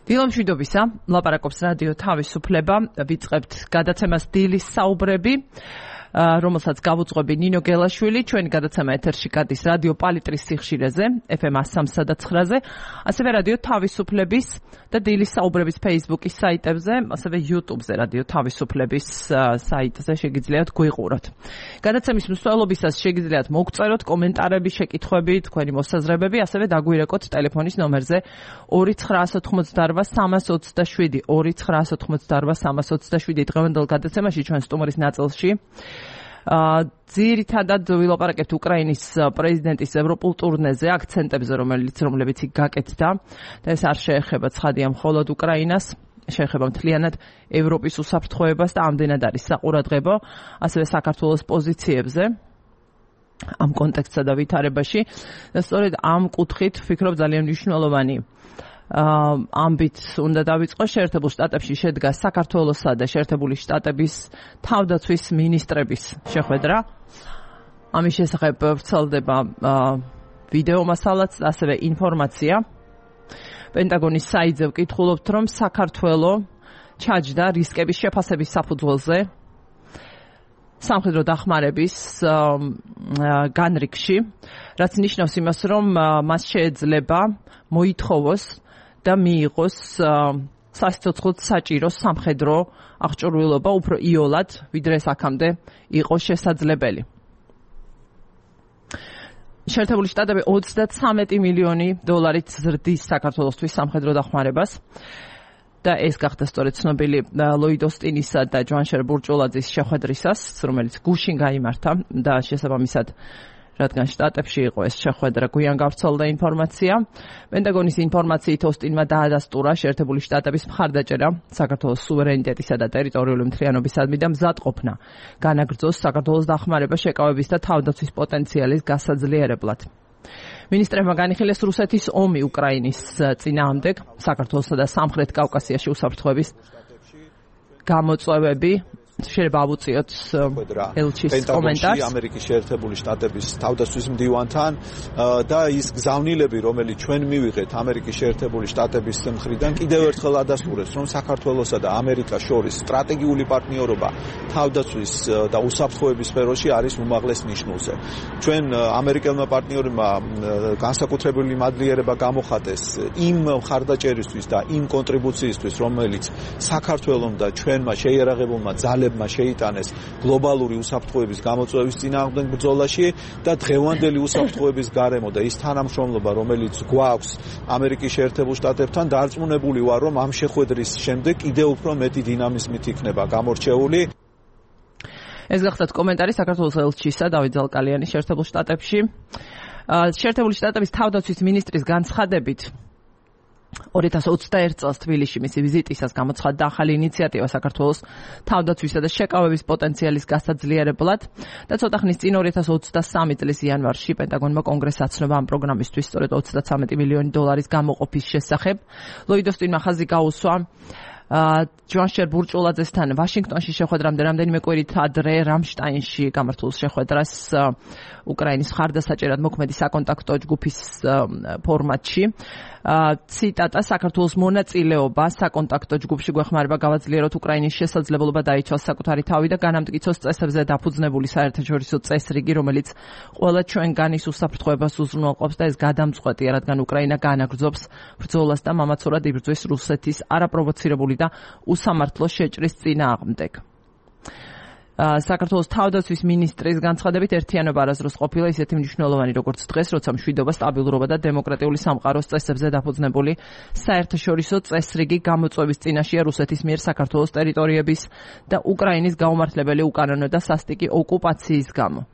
დილამშვიდობისა, ლაპარაკობს რადიო თავისუფლება, ვიწყებთ გადაცემას დილის საუბრები, რომელსაც გავუძღვები ნინო გელაშვილი, ჩვენი გადაცემა ეთერში გადის რადიო პალიტრის სიხშირეზე, FM 103 და 9-ზე, ასევე რადიო თავისუფლების და დილის საუბრების Facebook-ის საიტებზე, ასევე YouTube-ზე რადიო თავისუფლების საიტზე შეგიძლიათ გვიყუროთ. გადაცემის მსვლელობისას შეგიძლიათ მოგწეროთ კომენტარები, შეკითხვები, თქვენი მოსაზრებები, ასევე დაგვირეკოთ ტელეფონის ნომერზე 2988327 2988327 დღევანდელ გადაცემაში ჩვენ სტუმრის ნაწილში ძირითადად ვილაპარაკებთ უკრაინის პრეზიდენტის ევროპულ ტურნეზე, აქცენტებზე, რომლებიც იქ გაკეთდა და ეს არ შეეხება ცხადია მხოლოდ უკრაინას, შეეხება მთლიანად ევროპის უსაფრთხოებას და ამდენად არის საყურადღებო, ასევე საქართველოს პოზიციებზე ამ კონტექსტსა და ვითარებაში და სწორედ ამ კუთხით ვფიქრობ ძალიან მნიშვნელოვანი ამბით უნდა დავიწყო. შეერთებულ შტატებში შედგა საქართველოსა და შეერთებული შტატების თავდაცვის მინისტრების შეხვედრა. ამის შესახებ ვრცელდება ვიდეო მასალაც, ასევე ინფორმაცია. პენტაგონის საიტზე ვკითხულობთ, რომ საქართველო ჩაჯდა რისკების შეფასების საფუძველზე სამხედრო დახმარების განრიგში, რაც ნიშნავს იმას, რომ მას შეეძლება მოითხოვოს და მიიღოს სასიცოცხლოდ საჭირო სამხედრო აღჭურვილობა უფრო იოლად, ვიდრე ეს აქამდე იყო შესაძლებელი. შეერთებული შტატები 33 მილიონი დოლარით ზრდის საქართველოსთვის სამხედრო დახმარებას და ეს გახდა სწორედ ცნობილი ლოიდ ოსტინისა და ჯვანშერ ბურჭულაძის შეხვედრისას, რომელიც გუშინ გაიმართა და შესაბამისად რადგან შტატებში იყო ეს შეხვედრა, გვიან გავრცელდა ინფორმაცია. პენტაგონის ინფორმაციით ოსტინმა დაადასტურა შეერთებული შტატების მხარდაჭერა საქართველოს სუვერენიტეტისა და ტერიტორიული მთლიანობისადმი და მზადყოფნა განაგრძოს საქართველოს დახმარება შეკავების და თავდაცვის პოტენციალის გასაძლიერებლად. მინისტრებმა განიხილეს რუსეთის ომი უკრაინის წინააღმდეგ, საქართველოსა და სამხრეთ კავკასიაში უსაფრთხოების გამოწვევები. შეიძლება ავუწიოთ ელჩის კომენტარს ამერიკის შეერთებული შტატების თავდაცვის მდივანთან და ის გზავნილები, რომელიც ჩვენ მივიღეთ ამერიკის შეერთებული შტატების მხრიდან, კიდევ ერთხელ ადასტურებს, რომ საქართველოსა და ამერიკას შორის სტრატეგიული პარტნიორობა თავდაცვის და უსაფრთხოების სფეროში არის უმაღლეს ნიშნულზე. ჩვენ ამერიკელმა პარტნიორებმა განსაკუთრებული მადლიერება გამოხატეს იმ მხარდაჭერისთვის და იმ კონტრიბუციისთვის, რომელიც საქართველოს და ჩვენმა შეიარაღებულმა ძალებმა შეიტანეს გლობალური უსაფრთხოების გამოწვევის წინააღმდეგ ბრძოლაში და დღევანდელი უსაფრთხოების გარემო და ის თანამშრომლობა, რომელიც გვაქვს ამერიკის შეერთებულ შტატებთან, დარწმუნებული ვარ, რომ ამ შეხვედრის შემდეგ კიდევ უფრო მეტი დინამიზმით იქნება გამორჩეული. ეს გახდათ კომენტარი საქართველოს ელჩისა დავით ზალკალიანის შეერთებულ შტატებში. შეერთებული შტატების თავდაცვის მინისტრის განცხადებით 2021 წელს თბილისში მისი ვიზიტისას გამოცხადდა ახალი ინიციატივა საქართველოს თავდაცვისა და შეკავების პოტენციალის გასაძლიერებლად და ცოტა ხნის წინ 2023 წლის იანვარში პენტაგონმა კონგრესს აცნობა ამ პროგრამისთვის სწორედ 33 მილიონი დოლარის გამოყოფის შესახებ. ლოიდ ოსტინმა ხაზი გაუსვა ჯვანშერ ბურჭულაძესთან ვაშინგტონში შეხვედრამდე რამდენიმე კვირით ადრე რამშტაინში გამართულ შეხვედრას უკრაინის მხარდასაჭერად მოქმედი საკონტაქტო ჯგუფის ფორმატში. ციტატა: საქართველოს მონაწილეობა საკონტაქტო ჯგუფში გვეხმარება გავაძლიეროთ უკრაინის შესაძლებლობა დაიცვას საკუთარი თავი და განამტკიცოს წესებზე დაფუძნებული საერთაშორისო წესრიგი, რომელიც ყველა ჩვენგანის უსაფრთხოებას უზრუნველყოფს და ეს გადამწყვეტია, რადგან უკრაინა განაგრძობს ბრძოლას და მამაცურად იბრძვის რუსეთის არაპროვოცირებული და უსამართლო შეჭრის წინააღმდეგ. საქართველოს თავდაცვის მინისტრის განცხადებით ერთიანობა არასდროს ყოფილა ისეთი მნიშვნელოვანი როგორც დღეს, როცა მშვიდობა, სტაბილურობა და დემოკრატიული სამყაროს წესებზე დაფუძნებული საერთაშორისო წესრიგი გამოწვევის წინაშეა რუსეთის მიერ საქართველოს ტერიტორიების და უკრაინის გაუმართლებელი უკანონო და სასტიკი ოკუპაციის გამო.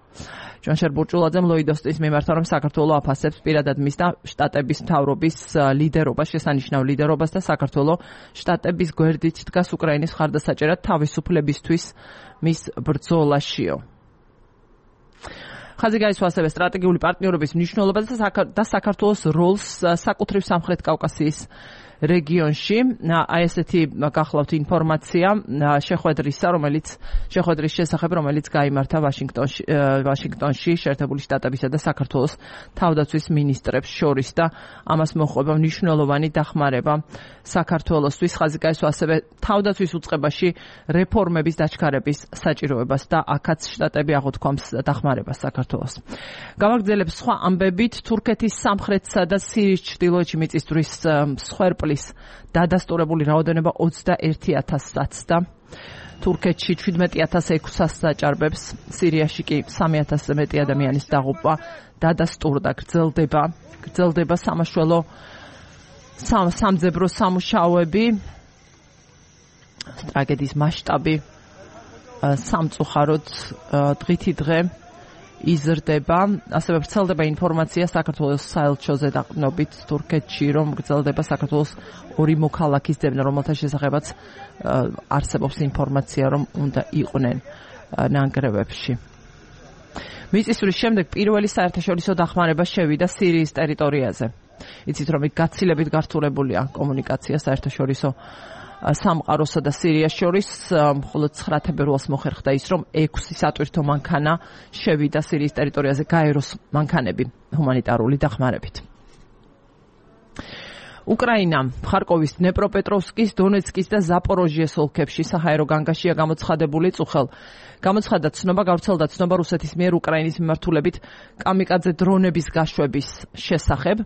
ჯვანშერ ბურჭულაძემ ლოიდ ოსტინს მიმართა, რომ საქართველო აფასებს პირადად მის და შტატების მთავრობის ლიდერობას, შესანიშნავ ლიდერობას და საქართველო შტატების გვერდით დგას უკრაინის მხარდასაჭერად თავისუფლებისთვის მის ბრძოლაშიო. ხაზი გაისვა ასევე სტრატეგიული პარტნიორობის მნიშვნელობას და საქართველოს როლს საკუთრივ სამხრეთ კავკასიის რეგიონში. აი ესეთი გახლავთ ინფორმაცია შეხვედრის შესახებ, რომელიც გაიმართა ვაშინგტონში შეერთებული შტატებისა და საქართველოს თავდაცვის მინისტრებს შორის და ამას მოჰყვება მნიშვნელოვანი დახმარება საქართველოსთვის. ხაზიკა ესვა ასევე თავდაცვის უწყებაში რეფორმების დაჩქარების საჭიროებას და აქაც შტატები აღუთქვამს დახმარებას საქართველოს. გავაგრძელებ სხვა ამბებით, თურქეთის სამხრეთსა და სირიის ჩრდილოეთში მიწისძვრის მსხვერპლის დადასტურებული რაოდენობა 21,000-ს და თურქეთში 17,600-ს დაჭარბებს, სირიაში კი 3,000-ზე მეტი ადამიანის დაღუპვა დადასტურდა. გრძელდება სამაშველო სამძებრო სამუშაოები, ტრაგედიის მასშტაბი სამწუხაროდ დღითი დღე იზრდება. ასევე ვრცელდება ინფორმაცია საქართველოს საელჩოზე დაყრდნობით თურქეთში, რომ გრძელდება საქართველოს 2 მოქალაქის ძებნა, რომელთა შესახებაც არსებობს ინფორმაცია, რომ უნდა იყვნენ ნანგრევებში. მიწისძვრის შემდეგ პირველი საერთაშორისო დახმარება შევიდა სირიის ტერიტორიაზე. იცით, რომ გაცილებით გართულებულია კომუნიკაცია საერთაშორისო სამყაროსა და სირიას შორის, მხოლოდ 9 თებერვალს მოხერხდა ის, რომ 6 სატვირთო მანქანა შევიდა სირიის ტერიტორიაზე, გაეროს მანქანები ჰუმანიტარული დახმარებით. უკრაინა ხარკოვის, დნეპროპეტროვსკის, დონეცკის და ზაპოროჟიეს ოლქებში საჰაერო განგაშია გამოცხადებული წუხელ. გამოცხადდა ცნობა, გავრცელდა ცნობა რუსეთის მიერ უკრაინის მიმართულებით კამიკაძე დრონების გაშვების შესახებ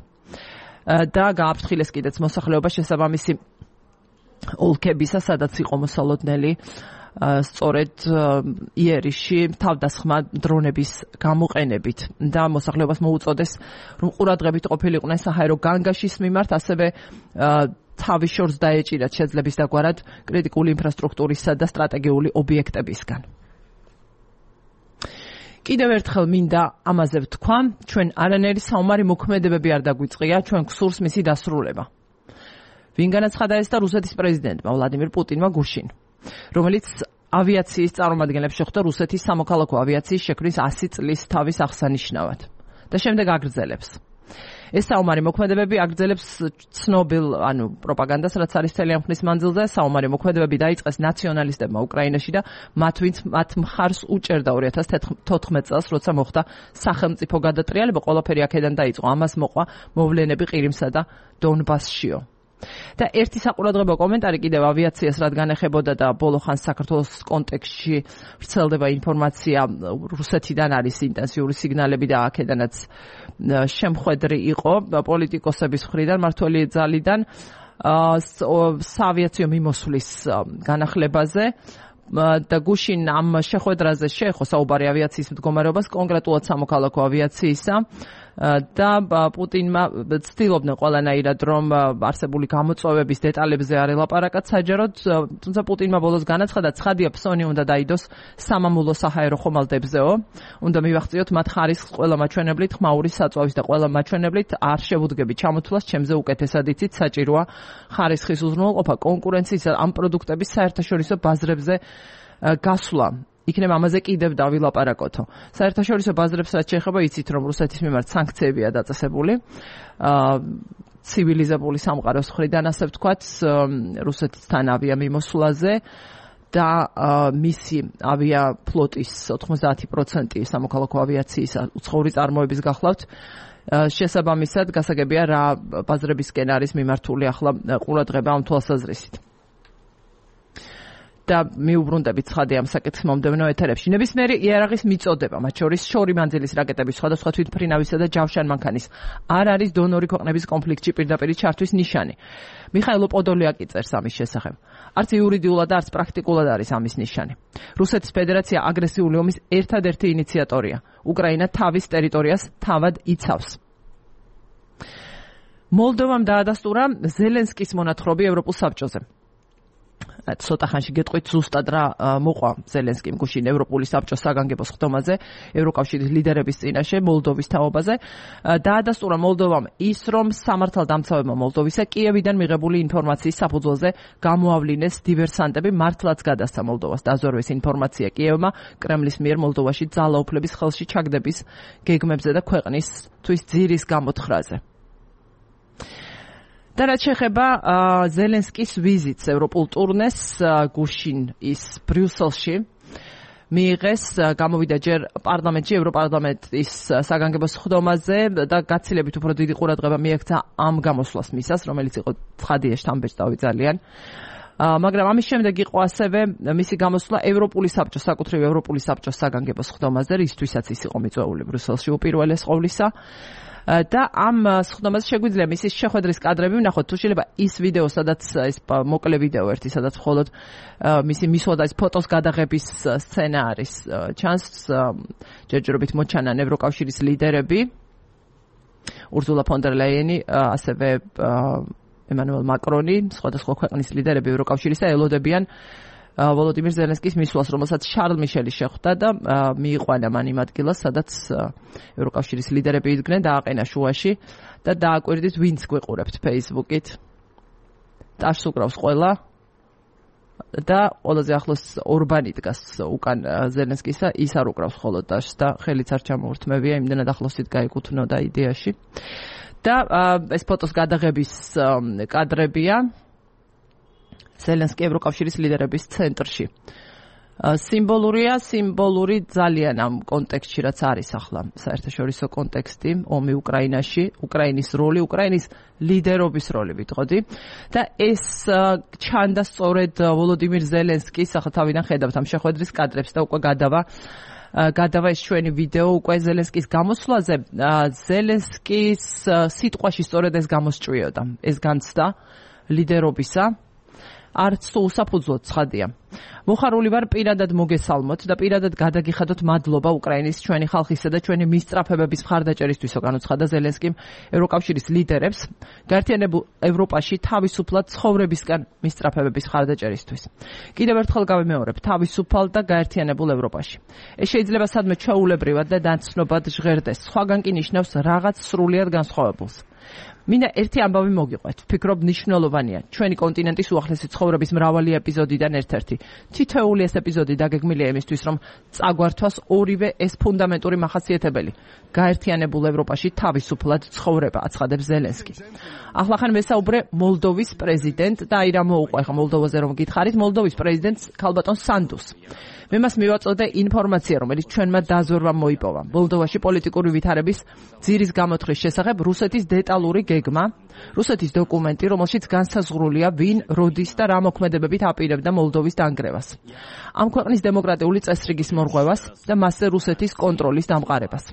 და გააფრთხილეს კიდეც მოსახლეობა შესაბამისი ოლქებისა, სადაც იყო მოსალოდნელი სწორედ იერიში თავდასხმა დრონების გამოყენებით და მოსახლეობას მოუწოდეს, რომ ყურადღებით ყოფილიყვნენ საჰაერო განგაშის მიმართ, ასევე თავის შორს დაეჭირათ შეძლების დაგვარად კრიტიკული ინფრასტრუქტურისა და სტრატეგიული ობიექტებისგან. კიდევ ერთხელ მინდა ამაზე ვთქვა, ჩვენ არანაირი საომარი მოქმედებები არ დაგვიწყია, ჩვენ გსურს მისი დასრულება. ვინ განაცხადა ეს და რუსეთის პრეზიდენტმა ვლადიმირ პუტინმა გუშინ, რომელიც ავიაციის წარმომადგენლებს შეხვდა რუსეთის სამოქალაქო ავიაციის შექმნის 100 წლის თავის აღსანიშნავად და შემდეგ აგრძელებს. ეს საომარი მოქმედებები აგრძელებს ცნობილ, პროპაგანდას, რაც არის მთელი ამ ხნის მანძილზე. საომარი მოქმედებები დაიწყეს ნაციონალისტებმა უკრაინაში და მათ მხარს უჭერდა 2014 წელს, როცა მოხდა სახელმწიფო გადატრიალება, ყველაფერი აქედან დაიწყო. ამას მოყვა მოვლენები ყირიმსა და დონბასშიო. და ერთი საყურადღებო კომენტარი კიდევ ავიაციას რადგან ეხებოდა და ბოლო ხანს საქართველოს კონტექსტში ვრცელდება ინფორმაცია, რუსეთიდან არის ინტენსიური სიგნალები და აქედანაც შემხვედრი იყო პოლიტიკოსების მხრიდან, მართველი ძალიდან საავიაციო მიმოსვლის განახლებაზე და გუშინ ამ შეხვედრაზე შეეხო საუბარი ავიაციის მდგომარეობას, კონკრეტულად სამოქალაქო ავიაციისა და პუტინმა ცდილობდნენ ყველანაირად, რომ არსებული გამოწვევების დეტალებზე არ ელაპარაკათ საჯაროდ, თუმცა პუტინმა ბოლოს განაცხადა, ცხადია ფსონი უნდა დაიდოს სამამულო საჰაერო ხომალდებზეო, უნდა მივახციოთ მათ ხარისხს ყველა მაჩვენებლით, ხმაური საწვავის და ყველა მაჩვენებლით არ შევუდგები ჩამოთვლას, ჩემზე უკეთესად იცით, საჭიროა ხარისხის უზრუნველყოფა, კონკურენციის ამ პროდუქტების საერთაშორისო ბაზრებზე გასვლა. იქნება ამაზე კიდევ დავილაპარაკოთო. საერთაშორისო ბაზრებს რაც შეეხება, იცით, რომ რუსეთის მიმართ სანქციებია დაწესებული. ცივილიზებული სამყაროს მხრიდან, ასე ვთქვათ, რუსეთთან ავიამიმოსვლაზე და მისი ავიაფლოტის 90% სამოქალაქო ავიაციის უცხოური წარმოების გახლავთ. შესაბამისად, გასაგებია რა ბაზრებისკენ არის მიმართული ახლა ყურადღება ამ თვალსაზრისით. და მიუბრუნდებით ცხადია ამ საკითხის მომდევნო ეთერებში. ნებისმიერი იარაღის მიწოდება, მათ შორის შორი მანძილის რაკეტების, სხვადასხვა თვითმფრინავისა და ჯავშან მანქანის არ არის დონორი ქვეყნების კონფლიქტში პირდაპირი ჩართვის ნიშანი. მიხაილ პოდოლიაკი წერს ამის შესახებ. არც იურიდიულად, არც პრაქტიკულად არის ამის ნიშანი. რუსეთის ფედერაცია აგრესიული ომის ერთადერთი ინიციატორია. უკრაინა თავის ტერიტორიას თავად იცავს. მოლდოვამ დაადასტურა ზელენსკის მონათხრობი ევროპულ საბჭოზე. ცოტა ხანში გეტყვით ზუსტად რა მოყვა ზელენსკიმ გუშინ ევროპული საბჭოს საგანგებო ხდომაზე ევროკავშირის ლიდერების წინაშე მოლდოვის თაობაზე. დაადასტურა მოლდოვამ ის, რომ სამართალდამცავებმა მოლდოვისა კიევიდან მიღებული ინფორმაციის საფუძველზე გამოავლინეს დივერსანტები, მართლაც გადასცა მოლდოვას დაზვერვის ინფორმაცია კიევმა კრემლის მიერ მოლდოვაში ძალაუფლების ხელში ჩაგდების გეგმებზე და ქვეყნისთვის ძირის გამოთხრაზე. და რაც შეეხება ზელენსკის ვიზიტს ევროპულ ტურნეს გუშინ ის ბრიუსელში მიიღეს გამოვიდა ჯერ პარლამენტში ევროპარლამენტის საგანგებო სხდომაზე და გაცილებით უფრო დიდი ყურადღება მიექცა ამ გამოსვლას მისას რომელიც იყო ცხადია შთამბეჭდავი ძალიან მაგრამ ამის შემდეგ იყო ასევე მისი გამოსვლა ევროპული საბჭოს საკუთრივ ევროპული საბჭოს საგანგებო სხდომაზე რისთვისაც ის იყო მიწვეული ბრიუსელში უპირველეს ყოვლისა და ამ სხდომაზე შეგვიძლია მისის შეხვედრის კადრები ვნახოთ თუ შეიძლება ის ვიდეო სადაც ეს მოკლე ვიდეო ერთი სადაც მხოლოდ მისი მისვლა და ეს ფოტოს გადაღების სცენა არის ჩანს ჯერჯერობით მოჩანან ევროკავშირის ლიდერები ურზულა ფონ დერ ლაიენი ასევე ემანუელ მაკრონი სხვადასხვა ქვეყნის ლიდერები ევროკავშირისა ელოდებიან ვოლოდიმირ ზელენსკის მისვლას, რომელსაც შარლ მიშელი შეხვდა და მიიყვანა მან იმ ადგილას, სადაც ევროკავშირის ლიდერები იდგნენ დააყენა შუაში და დააკვირდით ვინც გვიყურებთ Facebook-ით. ტაშს უკრავს ყველა და ყველაზე ახლოს ორბანი დგას უკან ზელენსკისა, ის არ უკრავს ხოლოდ ტაშს და ხელიც არ ჩამოურთმევია, იმდენად ახლოსით გაიკუთვნოდა იდეაში. და ეს ფოტოს გადაღების კადრებია ზელენსკი ევროკავშირის ლიდერების ცენტრში. სიმბოლური ძალიან ამ კონტექსტში რაც არის ახლა საერთაშორისო კონტექსტი, ომი უკრაინაში, უკრაინის როლი, უკრაინის ლიდერობის როლი ვიტყოდი და ეს ჩანდა სწორედ ვოლოდიმირ ზელენსკის ახლა თავიდან ხედავთ ამ შეხვედრის კადრებს და უკვე გადავა ეს ჩვენი ვიდეო უკვე ზელენსკის გამოსვლაზე. ზელენსკის სიტყვაში სწორედ ეს გამოსჭვიოდა, ეს განცდა ლიდერობისა. არც თუ უსაფუძვლოდ ცხადია. მოხარული ვარ პირადად მოგესალმოთ და პირადად გადაგიხადოთ მადლობა უკრაინის ჩვენი ხალხისა და ჩვენი მისწრაფებების მხარდაჭერისთვისო განუცხადა ზელენსკიმ ევროკავშირის ლიდერებს გაერთიანებულ ევროპაში თავისუფლად ცხოვრებისკენ მისწრაფებების მხარდაჭერისთვის. კიდევ ერთხელ გავიმეორებ, თავისუფალ და გაერთიანებულ ევროპაში. ეს შეიძლება სადმე ჩვეულებრივად და დაცნობად ჟღერდეს, სხვაგან კი ნიშნავს რაღაც სრულიად განსხვავებულს. მინდა ერთი ამბავი მოგიყვეთ. ვფიქრობ მნიშვნელოვანია. ჩვენი კონტინენტის უახლესი ცხოვრების მრავალი ეპიზოდიდან ერთ-ერთი. თითოეული ეს ეპიზოდი დაგეგმილია იმისთვის, რომ წაგვართვას ორივე ეს ფუნდამენტური მახასიათებელი. გაერთიანებულ ევროპაში თავისუფლად ცხოვრება, აცხადებს ზელენსკი. ახლახან ვესაუბრე მოლდოვის პრეზიდენტ და აი რა მოუყვა ახლა მოლდოვაზე რომ გითხარით, მოლდოვის პრეზიდენტს ქალბატონ სანდუს. მე მას მივაწოდე ინფორმაცია, რომელიც ჩვენმა დაზვერვამ მოიპოვა. მოლდოვაში პოლიტიკური ვითარების ძირის გამოთვლის შესახებ რუსეთის დეტალური გეგმა, რუსეთის დოკუმენტი, რომელშიც განსაზღვრულია ვინ, როდის და რა მოქმედებებით აპირებდა მოლდოვის დანგრევას. ამ ქვეყნის დემოკრატიული წესრიგის მორღვევას და მასზე რუსეთის კონტროლის დამყარებას.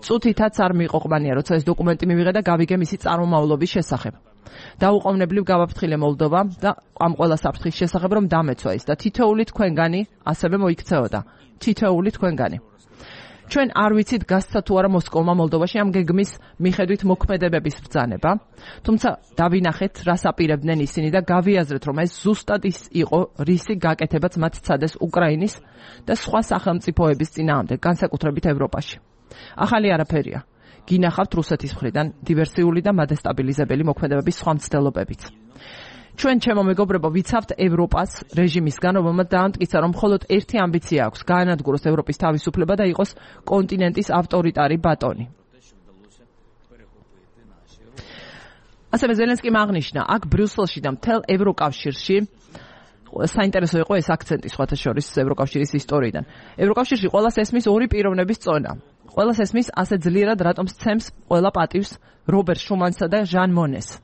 წუთითაც არ მიყვანია, როცა ეს დოკუმენტი მივიღე და გავიგე მისი წარმომავლობის შესახებ. დაუყოვნებლივ გავაფრთხილე მოლდოვა და ამ ყველა საფრთხის შესახებ რომ დამეცვა ის და თითოეული თქვენგანი ასევე მოიქცეოდა. თითოეული თქვენგანი. ჩვენ არ ვიცით გასცა თუ არა მოსკოვმა მოლდოვაში ამ გეგმის მიხედვით მოქმედებების ბრძანება, თუმცა დავინახეთ რას აპირებდნენ ისინი და გავიაზრეთ რომ ეს ზუსტად ის იყო რისი გაკეთებაც მათ ცადეს უკრაინის და სხვა სახელმწიფოების წინააღმდეგ, განსაკუთრებით ევროპაში. ახალი არაფერია. გინახავთ რუსეთის მხრიდან დივერსიული და მადესტაბილიზებელი მოქმედებების სხვა მცდელობებით. ჩვენ ჩემო მეგობრებო ვიცავთ ევროპას რეჟიმისგან, რომელმაც დაამტკიცა, რომ მხოლოდ ერთი ამბიცია აქვს, გაანადგუროს ევროპის თავისუფლება და იყოს კონტინენტის ავტორიტარი ბატონი. ასევე ზელენსკიმ აღნიშნა, აქ ბრიუსელში და მთელ ევროკავშირში საინტერესო იყო ეს აქცენტი სხვათა შორის ევროკავშირის ისტორიიდან. ევროკავშირში ყველას ესმის ორი პიროვნების წონა. ყველას ესმის ასე ძლიერად რატომ სცემს ყველა პატივს რობერტ შუმანსა და ჟან მონეს.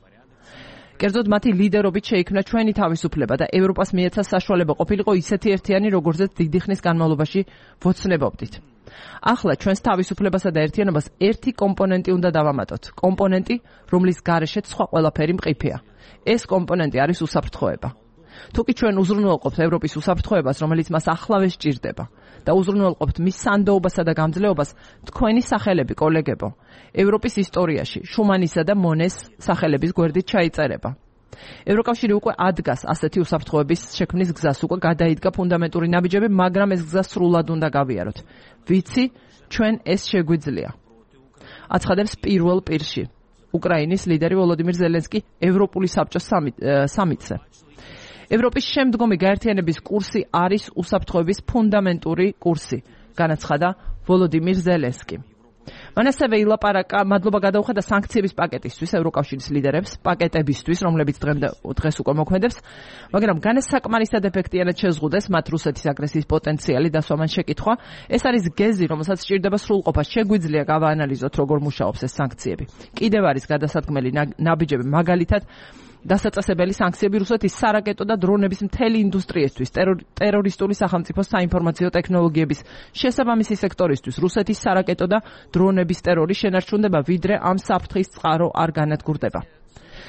კერძოდ მათი ლიდერობით შეიქმნა ჩვენი თავისუფლება და ევროპას მიეცა საშუალება ყოფილიყო ისეთი ერთიანი, როგორზეც დიდი ხნის განმავლობაში ვოცნებობდით. ახლა ჩვენს თავისუფლებასა და ერთიანობას ერთი კომპონენტი უნდა დავამატოთ. კომპონენტი, რომლის გარეშეც სხვა ყველაფერი მყიფეა. ეს კომპონენტი არის უსაფრთხოება. თუკი ჩვენ უზრუნველყოფთ ევროპის უსაფრთხოებას, რომელიც მას ახლავე სჭირდება და უზრუნველყოფთ მის სანდოობასა და გამძლეობას, თქვენი სახელები, კოლეგებო, ევროპის ისტორიაში შუმანისა და მონეს სახელების გვერდით ჩაიწერება. ევროკავშირი უკვე ადგას ასეთი უსაფრთხოების შექმნის გზას, უკვე გადაიდგა ფუნდამენტური ნაბიჯები, მაგრამ ეს გზა სრულად უნდა გავიაროთ. ვიცი, ჩვენ ეს შეგვიძლია. აცხადებს პირველ პირში უკრაინის ლიდერი ვოლოდიმირ ზელენსკი ევროპული საბჭოს სამიტზე. ევროპის შემდგომი გაერთიანების კურსი არის უსაფრთხოების ფუნდამენტური კურსი, განაცხადა ვოლოდიმირ ზელენსკი. მან ასევე ილაპარაკა, მადლობა გადაუხადა სანქციების პაკეტისთვის ევროკავშირის ლიდერებს, პაკეტებისთვის, რომლებიც დღეს უკვე მოქმედებს, მაგრამ განსაკმარისად ეფექტიანად შეზღუდეს მათ რუსეთის აგრესიის პოტენციალი დასვამან შეკითხვა. ეს არის გეზი, რომელსაც სჭირდება სრულყოფა. შეგვიძლია გავაანალიზოთ, როგორ მუშაობს ეს სანქციები. კიდევ არის გადასადგმელი ნაბიჯები, მაგალითად დასაწესებელი სანქციები რუსეთის სარაკეტო და დრონების მთელი ინდუსტრიისთვის, ტერორისტული სახელმწიფოს საინფორმაციო ტექნოლოგიების შესაბამისი სექტორისთვის. რუსეთის სარაკეტო და დრონების ტერორი შენარჩუნდება, ვიდრე ამ საფრთხის წყარო არ განადგურდება.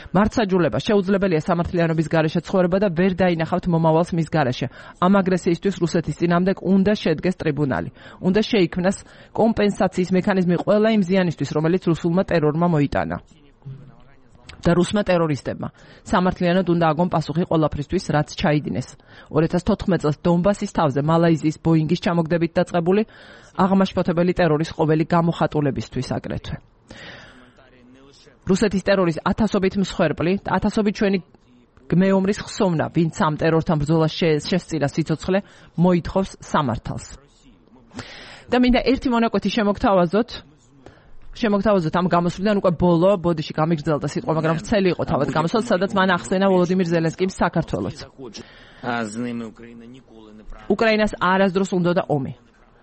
მართსაჯულება შეუძლებელია სამართლიანობის გარეშე ცხოვრება და ვერ დაინახავთ მომავალს მის გარეშე. ამ აგრესიისთვის რუსეთის წინააღმდეგ უნდა შედგეს ტრიბუნალი. უნდა შეიქმნას კომპენსაციის მექანიზმი ყველა იმ ზიანისთვის, რომელიც რუსულმა ტერორმა მოიტანა. და რუსმა ტერორისტებმა. სამართლიანად უნდა აგონ პასუხი ყველაფრისთვის, რაც ჩაიდინეს. 2014 წელს დონბასის თავზე მალაიზიის ბოინგის ჩამოგდებით დაწყებული აღმაშფოთებელი ტერორის ყოველი გამოხატულებისთვის აგრეთვე. რუსეთის ტერორის ათასობით მსხვერპლი, ათასობით ჩვენი გმეომრის ხსოვნა, ვინც ამ ტერორთან ბრძოლას შესწირა სიცოცხლე, მოითხოვს სამართალს. და მინდა ერთი მონაკვეთი შემოგთავაზოთ ამ გამოსვლიდან უკვე ბოლო ბოდიში გამიგრძელდა სიტყვა, მაგრამ ვრცელი იყო თავად გამოსვლა, სადაც მან ახსენა ვოლოდიმირ ზელენსკიმ საქართველოს. უკრაინას არასდროს უნდოდა ომი.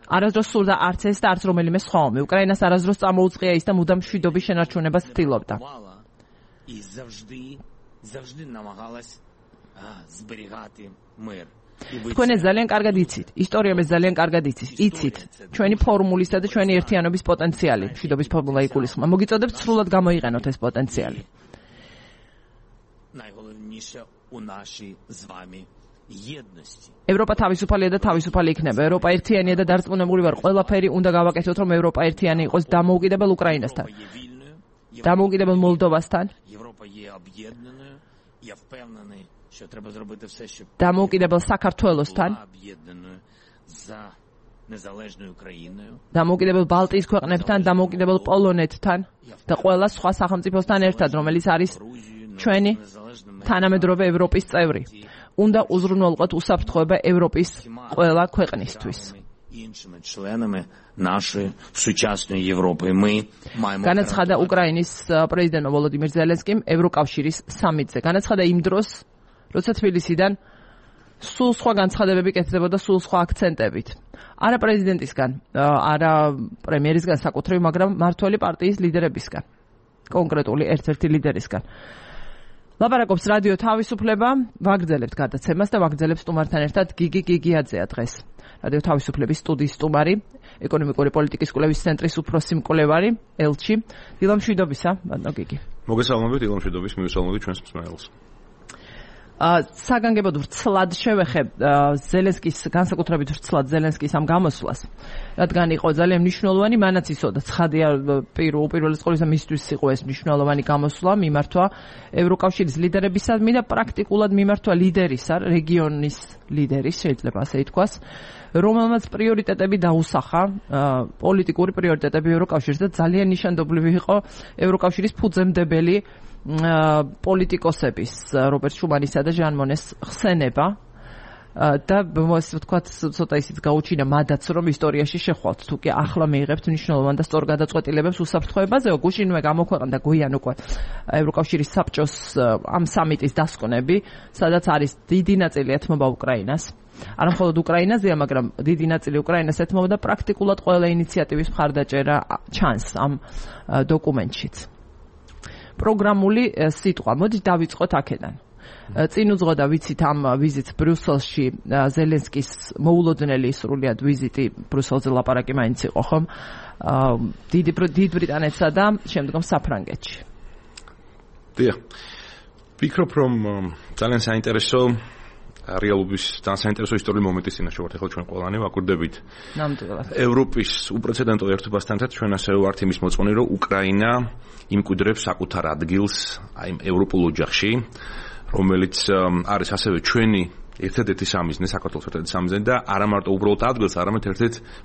არასდროს სურდა არც ეს და არც რომელიმე სხვა ომი. უკრაინას არასდროს წამოუწყია ის და მუდამ მშვიდობის შენარჩუნებას ცდილობდა. თქვენ ეს ძალიან კარგად იცით, ისტორიამ ეს ძალიან კარგად იცით, ჩვენი ფორმულისა და ჩვენი ერთიანობის პოტენციალი, მშვიდობის ფორმულა იგულისხმება. მოგიწოდებთ სრულად გამოიყენოთ ეს პოტენციალი. ევროპა თავისუფალია და თავისუფალი იქნება. ევროპა ერთიანია და დარწმუნებული ვარ, ყველაფერი უნდა გავაკეთოთ, რომ ევროპა ერთიანი იყოს დამოუკიდებელ უკრაინასთან, დამოუკიდებელ მოლდოვასთან, დამოუკიდებელ საქართველოსთან, დამოუკიდებელ ბალტიის ქვეყნებთან, დამოუკიდებელ პოლონეთთან და ყველა სხვა სახელმწიფოსთან ერთად, რომელიც არის ჩვენი თანამედროვე ევროპის წევრი. უნდა უზრუნველყოთ უსაფრთხოება ევროპის ყველა ქვეყნისთვის. განაცხადა უკრაინის პრეზიდენტ ვოლოდიმირ ზელენსკიმ ევროკავშირის სამიტზე. განაცხადა იმ დროს, როცა თბილისიდან სულ სხვა განცხადებები კეთდებოდა სულ სხვა აქცენტებით. არა პრეზიდენტისგან, არა პრემიერისგან საკუთრივ, მაგრამ მმართველი პარტიის ლიდერებისგან, კონკრეტული ერთ-ერთი ლიდერისგან. ლაპარაკობს რადიო თავისუფლება, ვაგრძელებთ გადაცემას და ვაგრძელებს სტუმართან ერთად გიგი გიგიაძეა დღეს. რადიო თავისუფლების სტუდიის სტუმარი, ეკონომიკური პოლიტიკის კვლევის ცენტრის უფროსი მკვლევარი ელჩი. დილა მშვიდობისა, ბატონო გიგი. მოგესალმებით, დილა მშვიდობის, მივესალმებით ჩვენს მსმენელს. საგანგებოდ ვრცლად შევეხებ ზელენსკის, განსაკუთრებით ვრცლად ზელენსკის ამ გამოსვლას, რადგან იყო ძალიან მნიშვნელოვანი, მანაც იცოდა ცხადია უპირველეს ყოვლისა მისთვის იყო ეს მნიშვნელოვანი გამოსვლა, მიმართვა ევროკავშირის ლიდერებისადმი და პრაქტიკულად მიმართვა ლიდერისა, რეგიონის ლიდერის, შეიძლება ასე ითქვას, რომელმაც პრიორიტეტები დაუსახა, პოლიტიკური პრიორიტეტები ევროკავშირს და ძალიან ნიშანდობლივი იყო ევროკავშირის ფუძემდებელი პოლიტიკოსების რობერტ შუმანისა და ჟან მონეს ხსენება და ვთქვათ ცოტა ისიც გაუჩინა მადაც რომ ისტორიაში შეხვალთ თუ კი ახლა მიიღებთ მნიშვნელოვან და სწორ გადაწყვეტილებებს უსაფრთხოებაზე გუშინვე გამოქვეყნდა გვიან უკვე ევროკავშირის საბჭოს ამ სამიტის დასკვნები სადაც არის დიდი ნაწილი ეთმობა უკრაინას არა მხოლოდ უკრაინაზეა მაგრამ დიდი ნაწილი უკრაინას ეთმობა და პრაქტიკულად ყველა ინიციატივის მხარდაჭერა ჩანს ამ დოკუმენტშიც პროგრამული სიტყვა. მოდით დავიწყოთ აქედან. წინ უძღოდა ვიცით ამ ვიზიტს ბრიუსელში ზელენსკის მოულოდნელი სრულიად ვიზიტი ბრიუსელზე ლაპარაკი მაინც იყო ხომ? დიდ ბრიტანეთსა და შემდგომ საფრანგეთში. დიახ. ვფიქრობ რომ ძალიან საინტერესო რეალობის ძალიან საინტერესო ისტორიული მომენტის წინაშე ვართ ახლა ჩვენ ყველანი ვაკვირდებით. ნამდვილად. ევროპის უპრეცედენტო ერთობასთან ერთად ჩვენ ასევე ვართ იმის მოწმენი რომ უკრაინა იმკვიდრებს საკუთარ ადგილს აი ევროპულ ოჯახში რომელიც არის ასევე ჩვენი ერთადერთი სამიზნე საქართველოს ერთადერთი სამიზნე და არა მარტო უბრალოდ ადგილს არამედ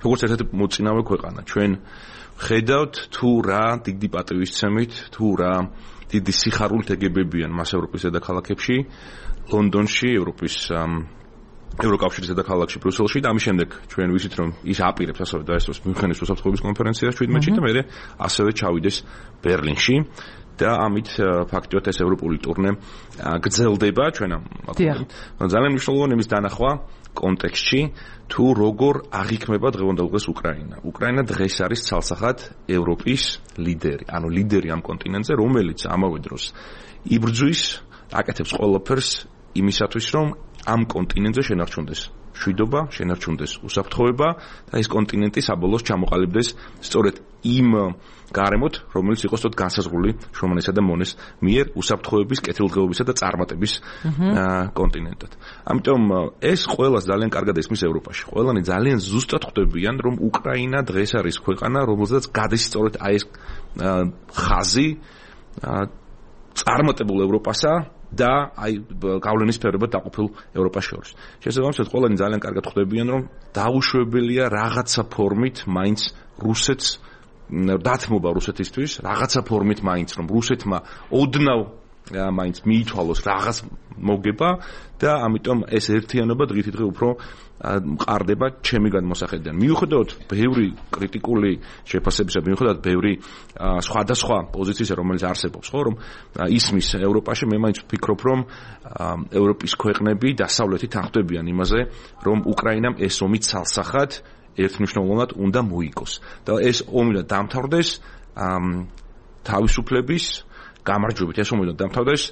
როგორც ერთ-ერთი მოწინავე ქვეყანა ჩვენ ხედავთ თუ რა დიდი პატივისცემით თუ რა დიდი სიხარულით ეგებებიან მას ევროპის დედაქალაქებში ლონდონში ევროპის ევროკავშირის დედაქალაქში ბრიუსელში და ამის შემდეგ ჩვენ ვიცით რომ ის აპირებს ასევე დაესწროს მიუნხენის უსაფრთხოების კონფერენციას 17-ში და მე ასევე ჩავიდეს ბერლინში და ამით ფაქტიურად ეს ევროპული ტურნე გრძელდება ჩვენ ძალიან მნიშვნელოვანი იმის დანახვა კონტექსტში თუ როგორ აღიქმება დღევანდელ დღეს უკრაინა. უკრაინა დღეს არის ცალსახად ევროპის ლიდერი, ანუ ლიდერი ამ კონტინენტზე, რომელიც ამავე დროს იბრძვის, აკეთებს ყველაფერს იმისათვის, რომ ამ კონტინენტზე შენარჩუნდეს შვიდობა, შენარჩუნდეს უსაფრთხოება და ეს კონტინენტი საბოლოოს ჩამოყალიბდეს სწორედ იმ გარემოთ, რომელიც იყო სწორედ განსაზღვრული შრომანისა და მონეს მიერ უსაფრთხოების, კეთილდღეობისა და წარმატების კონტინენტად. ამიტომ ეს ყველას ძალიან კარგად ესმის ევროპაში. ყველანი ძალიან ზუსტად ხვდებიან, რომ უკრაინა დღეს არის ქვეყანა, რომელზეც გადის სწორედ აი ეს ხაზი წარმატებულ ევროპასა და აი გავლენის სფეროებად დაყოფილ ევროპას შორის. შესაბამისად, ყველანი ძალიან კარგად ხვდებიან, რომ დაუშვებელია რაღაცა ფორმით მაინც რუსეთს დათმობა რუსეთისთვის, რაღაცა ფორმით მაინც რომ რუსეთმა ოდნავ მაინც მიითვალოს რაღაც მოგება და ამიტომ ეს ერთიანობა დღითიდღე უფრო მყარდება ჩემი გადმოსახედიდან. მიუხედავად ბევრი კრიტიკული შეფასებისა, მიუხედავად ბევრი სხვადასხვა პოზიციისა, რომელიც არსებობს, ხო, რომ ისმის ევროპაში, მე მაინც ვფიქრობ, რომ ევროპის ქვეყნები დასავლეთით აღწევიან იმაზე, რომ უკრაინამ ეს ომი ცალსახად ერთმნიშვნელოვნად უნდა მოიგოს და ეს ომი და დამთავრდეს თავისუფლების გამარჯვებით. ეს ომი და დამთავრდეს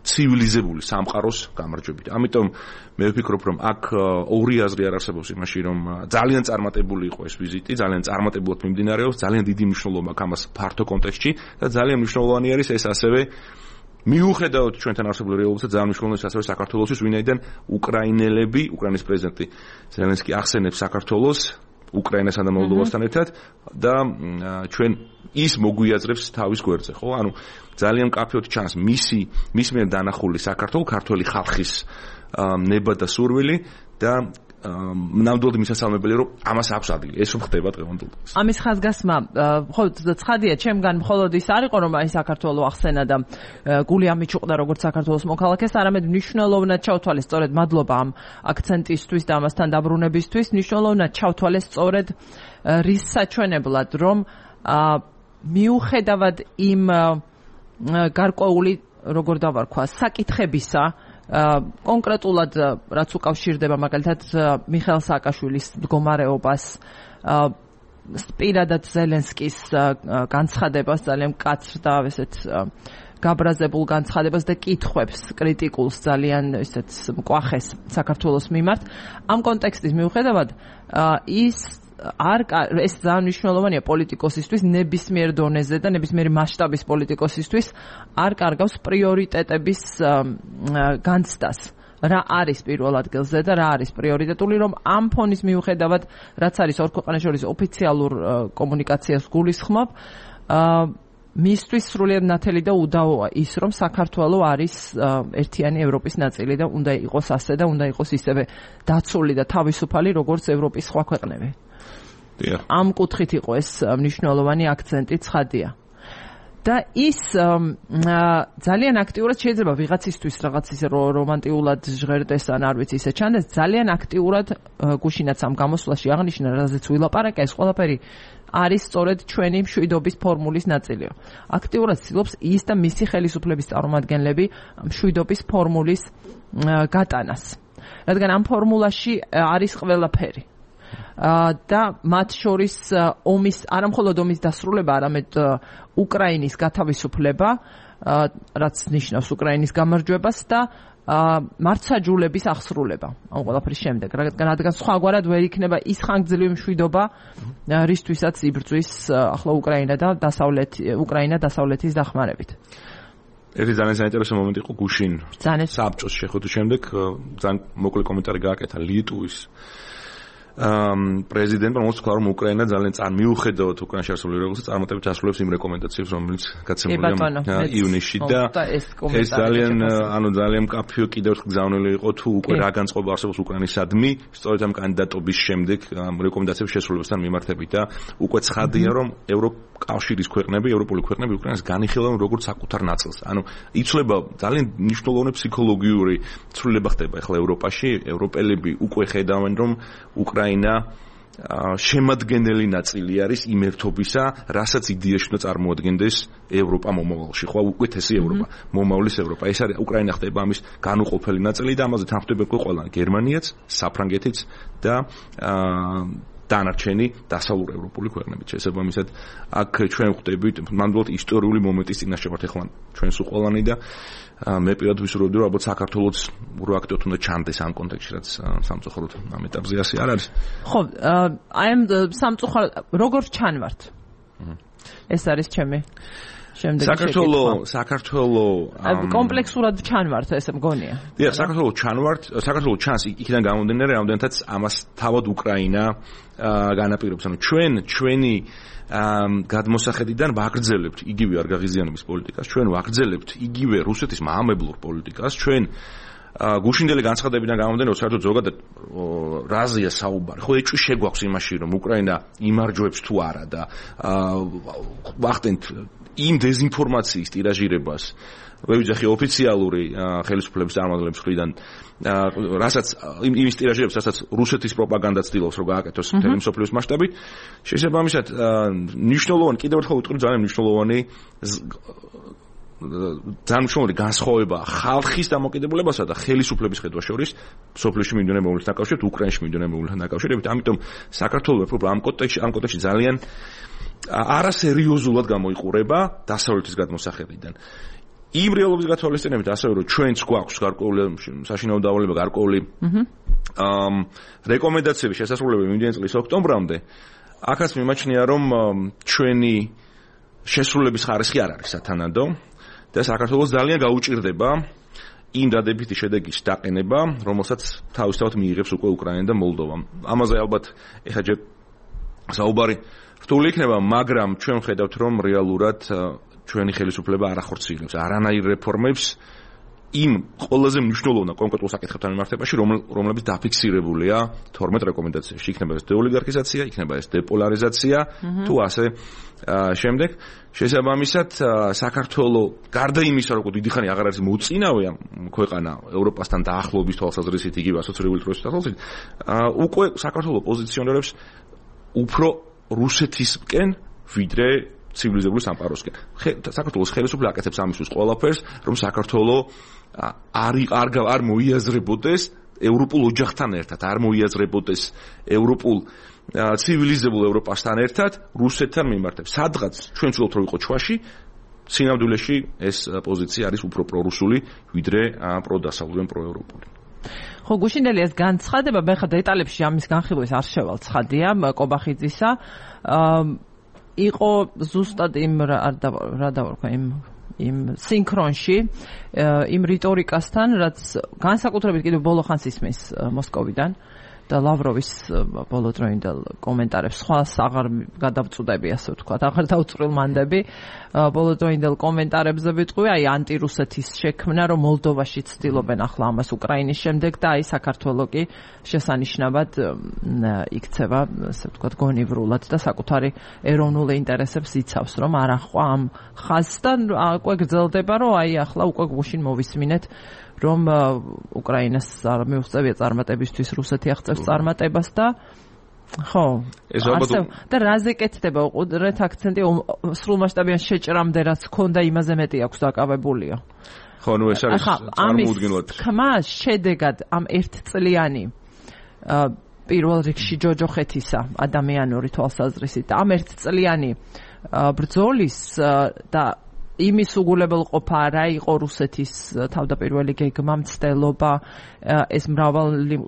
ცივილიზებული სამყაროს გამარჯვებით. ამიტომ მე ვფიქრობ, რომ აქ ორი აზრი არ არსებობს იმაში, რომ ძალიან წარმატებული იყო ეს ვიზიტი, ძალიან წარმატებულად მიმდინარეობს, ძალიან დიდი მნიშვნელობა აქვს ამას ფართო კონტექსტში და ძალიან მნიშვნელოვანი არის ეს ასევე მიუხედავად ჩვენთან არსებული რეალობისა, ძალიან მნიშვნელოვანი ასევე საქართველოსთვის, ვინაიდან უკრაინელები, უკრაინის პრეზიდენტი ზელენსკი ახსენებს საქართველოს უკრაინასთან და მოლდოვასთან ერთად და ჩვენ ის მოგვიაზრებს თავის გვერდზე, ხო? ანუ ძალიან კაფეოდ ჩანს მისი მიერ დანახული საქართველოს ქართველი ხალხის ნება და სურვილი და ნამდვილად მისასალმებელი რომ ამას აქვს ადგილი. ეს რომ ხდება დღევანდელ დღეს. ამის ხაზგასმა ხო ცხადია, ჩემგან მხოლოდ ის არ იყო რომ აი საქართველოს ახსენა და გული ამიჩუყდა როგორც საქართველოს მოქალაქეს, არამედ მნიშვნელოვნად ჩავთვალეს სწორედ მადლობა ამ აქცენტისთვის და ამასთან დაბრუნებისთვის, მნიშვნელოვნად ჩავთვალეს სწორედ რის საჩვენებლად, რომ მიუხედავად იმ გარკვეული როგორ დავარქვა საკითხებისა კონკრეტულად რაც უკავშირდება მაგალითად მიხეილ სააკაშვილის მდგომარეობას პირადად ზელენსკის განცხადებას ძალიან მკაცრ და ესეც გაბრაზებულ განცხადებას და კითხვებს კრიტიკულს ძალიან ესეც მკვახეს საქართველოს მიმართ ამ კონტექსტის მიუხედავად ეს ძალიან მნიშვნელოვანია პოლიტიკოსისთვის ნებისმიერ დონეზე და ნებისმიერი მასშტაბის პოლიტიკოსისთვის არ კარგავს პრიორიტეტების განცდას რა არის პირველ ადგილზე და რა არის პრიორიტეტული რომ ამ ფონის მიუხედავად რაც არის ორ ქვეყანას შორის ოფიციალურ კომუნიკაციას გულისხმობ მისთვის სრულიად ნათელი და უდავოა ის რომ საქართველო არის ერთიანი ევროპის ნაწილი და უნდა იყოს ასე და უნდა იყოს ისევე დაცული და თავისუფალი როგორც ევროპის სხვა ქვეყნები ამ კუთხით იყო ეს მნიშვნელოვანი აქცენტი ცხადია. და ის ძალიან აქტიურად შეიძლება ვიღაცისთვის რაღაც ისე რომანტიულად ჟღერდეს ან არ ვიცი ისე ჩანდეს, ძალიან აქტიურად გუშინაც ამ გამოსვლაში აღნიშნა, რაზეც ვილაპარაკე, ეს ყველაფერი არის სწორედ ჩვენი მშვიდობის ფორმულის ნაწილია. აქტიურად ცდილობს ის და მისი ხელისუფლების წარმომადგენლები მშვიდობის ფორმულის გატანას. რადგან ამ ფორმულაში არის ყველაფერი. და მათ შორის ომის არამხოლოდ ომის დასრულება, არამედ უკრაინის გათავისუფლება, რაც ნიშნავს უკრაინის გამარჯვებას და მართლმსაჯულების აღსრულება. ამ ყველაფრის შემდეგ, რადგან სხვაგვარად ვერ იქნება ის ხანგრძლივი მშვიდობა, რისთვისაც იბრძვის ახლა უკრაინა და უკრაინა დასავლეთის დახმარებით. ერთი ძალიან საინტერესო მომენტი იყო გუშინ საბჭოს შეხვედრის შემდეგ ძალიან მოკლე კომენტარი გააკეთა ლიტვის პრეზიდენტმა მოსთქვა რომ უკრაინა ძალიან მიუხედავად უკრაინაში არსებული რეგულაციების წარმატებით ასრულებს იმ რეკომენდაციებს რომელიც გაცემულია ივნისში და ეს ძალიან მკაფიო კიდევ ერთხელ გზავნილი იყო თუ უკვე რა განწყობა არსებობს უკრაინისადმი სწორედ ამ კანდიდატობის შემდეგ რეკომენდაციების შესრულებასთან მიმართებით და უკვე ცხადია რომ ევროკავშირის ქვეყნები ევროპული ქვეყნები უკრაინას განიხილავენ როგორც საკუთარ ნაწილს ანუ იცვლება ძალიან მნიშვნელოვანი ფსიქოლოგიური ცვლილება ხდება ახლა ევროპაში ევროპელები უკვე ხედავენ რომ უკრაინა შემადგენელი ნაწილი არის იმ ერთობისა, რასაც იდეაში უნდა წარმოადგენდეს ევროპა მომავალში, ხო, უკეთესი ევროპა, მომავლის ევროპა. ეს არის უკრაინა ხდება ამის განუყოფელი ნაწილი და ამაზე თანხმდება ყველანი, გერმანიაც, საფრანგეთიც და დანარჩენი დასავლური ევროპული ქვეყნები. შესაბამისად, აქ ჩვენ ხვდებით ნამდვილად ისტორიული მომენტის წინაშე ვართ ახლა ჩვენ სულ ყველანი და მე პირადად ვისურვებდი რომ ალბათ საქართველოს პროაქტოთ უნდა ჩანდეს ამ კონტექსტში რაც სამწუხაროდ ამ ეტაპზე ასე არ არის. ხო, აი ამ სამწუხაროდ როგორ ჩანვართ? ეს არის ჩემი შემდეგი საქართველოს კომპლექსურად ჩანვართ ესე მგონია. დიახ, საქართველოს ჩანს იქიდან გამომდინარე რამდენთაც ამას თავად უკრაინა განაპირობებს. ანუ ჩვენი გადმოსახედიდან ვაგრძელებთ იგივე არ გაღიზიანების პოლიტიკას, ჩვენ ვაგრძელებთ იგივე რუსეთის მაამებლურ პოლიტიკას, ჩვენ გუშინდელი განცხადებიდან გამომდინარე, რომ საერთოდ ზოგადად რაზეა საუბარი. ხო, ეჭვი შეგვაქვს იმაში, რომ უკრაინა იმარჯვებს თუ არა და ვახდენთ იმ დეზინფორმაციის ტირაჟირებას ვეძახი ოფიციალური ხელისუფლების წარმომადგენლების მხრიდან რასაც იმის ტირაჟირებას, რასაც რუსეთის პროპაგანდა ცდილობს რომ გააკეთოს მთელი მსოფლიოს მასშტაბით, შესაბამისად მნიშვნელოვანი კიდევ ერთხელ ვიტყვი ძალიან მნიშვნელოვანი განსხვავება ხალხის დამოკიდებულებასა და ხელისუფლების ხედვა შორის სოფლიოში მიმდინარე მოვლენებთან დაკავშირებით, უკრაინაში მიმდინარე მოვლენებთან დაკავშირებით. ამიტომ საქართველოს ამ კონტექსტში ძალიან არასერიოზულად გამოიყურება დასავლეთის გადმოსახედიდან. იმ რეალობის გათვალისწინებით ასევე რომ ჩვენც გვაქვს გარკვეული საშინაო დავალება გარკვეული რეკომენდაციები შესასრულებელი მიმდინარე წლის ოქტომბრამდე აქაც მიმაჩნია რომ ჩვენი შესრულების ხარისხი არ არის სათანადო და საქართველოს ძალიან გაუჭირდება იმ დადებითი შედეგის დაყენება რომელსაც თავისთავად მიიღებს უკვე უკრაინა და მოლდოვა. ამაზე ალბათ ეხლა ჯერ საუბარი რთული იქნება, მაგრამ ჩვენ ვხედავთ რომ რეალურად ჩვენი ხელისუფლება არ ახორციელებს არანაირ რეფორმებს იმ ყველაზე მნიშვნელოვან კონკრეტულ საკითხებთან მიმართებაში, რომლებიც დაფიქსირებულია 12 რეკომენდაციაში. იქნება ეს დეოლიგარქიზაცია, იქნება ეს დეპოლარიზაცია, თუ ასე შემდეგ. შესაბამისად, საქართველოს გარდა იმისა, რომ დიდი ხანი აღარ არის მოწინავე ქვეყანა ევროპასთან დაახლოების თვალსაზრისით, იგივე ასოცირებული დროის თვალსაზრისით, უკვე საქართველოს პოზიციონირებს უფრო რუსეთისკენ, ვიდრე ცივილიზებული სამყაროსკენ. საქართველოს ხელისუფლება აკეთებს ამისთვის ყველაფერს, რომ საქართველოს არ მოიაზრებოდეს ევროპულ ოჯახთან ერთად, არ მოიაზრებოდეს ევროპულ ცივილიზებულ ევროპასთან ერთად, რუსეთთან მიმართებს. სადღაც ჩვენ ვცდილობთ რომ ვიყო ჩვაში, სინამდვილეში ეს პოზიცია არის უფრო პრორუსული, ვიდრე პროდასავლური ან პროევროპული. ხო, გუშინდელი ეს განცხადება, მე ხა დეტალებში ამის განხილვის არ შევალ, ცხადია, კობახიძისა. იყო ზუსტად იმ რა დავარქვა იმ სინქრონში იმ რიტორიკასთან, რაც განსაკუთრებით კიდევ ბოლო ხანს ისმის მოსკოვიდან და ლავროვის ბოლოდროინდელ კომენტარებს სხვას აღარ გადავწუდები, ასე ვთქვათ, აღარ დავწვრილმანდები ბოლოდროინდელ კომენტარებზე ვიტყვი, აი ანტირუსეთის შექმნა, რომ მოლდოვაში ცდილობენ ახლა ამას უკრაინის შემდეგ და აი საქართველოს კი შესანიშნავად იქცევა, ასე ვთქვათ, გონივრულად და საკუთარი ეროვნული ინტერესებს იცავს, რომ არ ახვა ამ ხაზთან, უკვე გრძელდება, რომ აი ახლა უკვე გუშინ მოვისმინეთ რომ უკრაინას არ მიუღწევია წარმატებისთვის რუსეთი აღწევს წარმატებას და ხო და რაზე კეთდება უყურეთ აქცენტი სრულმასშტაბიან შეჭრამდე რაც ქონდა იმაზე მეტი აქვს დაკავებულიო. ხო, ნუ ეს არის წარმოუდგენლად. ხმა შედეგად ამ ერთწლიანი პირველ რიგში ჯოჯოხეთისა ადამიანური თვალსაზრისით და ამ ერთწლიანი ბრძოლის და იმის უგულებელყოფა რა იყო რუსეთის თავდაპირველი გეგმა, მცდელობა, ეს მრავალი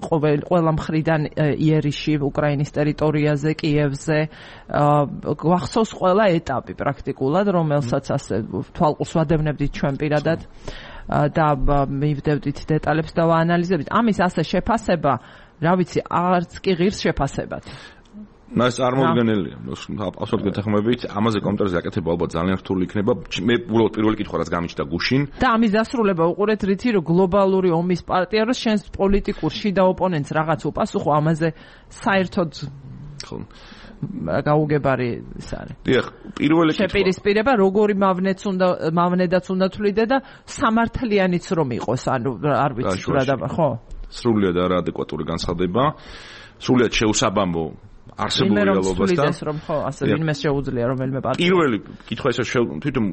ყველა მხრიდან იერიში უკრაინის ტერიტორიაზე, კიევზე, გვახსოვს ყველა ეტაპი პრაქტიკულად, რომელსაც ასე თვალყურს ვადევნებდით ჩვენ პირადად და მივდევდით დეტალებს და ვაანალიზებდით. ამის ასე შეფასება რა ვიცი, არც კი ღირს შეფასებად. მას წარმოუდგენელია. აბსოლუტურად გეთანხმებით, ამაზე კომენტარზე აკეთება ალბათ ძალიან რთული იქნება. მე უბრალოდ პირველი კითხვა რაც გამიჩნდა გუშინ. და ამის დასრულება უყურეთ რითი, რომ გლობალური ომის პარტია რო შენს პოლიტიკურ შიდა ოპონენტს რაღაც უპასუხო, ამაზე საერთოდ ხო გაუგებარი ის არის. დიახ, პირველი კითხვა. შეპირისპირება როგორი მავნედაც უნდა თვლიდე და სამართლიანიც რომ იყოს, ანუ არ ვიცი რა და ხო? სრულიად არაადეკვატური განცხადება, სრულიად შეუსაბამო არსებულ რეალობასთან. რომ ხო, ასე ვინმე შეუძლია რომელიმე პარტია. პირველი კითხვა ისე თვითონ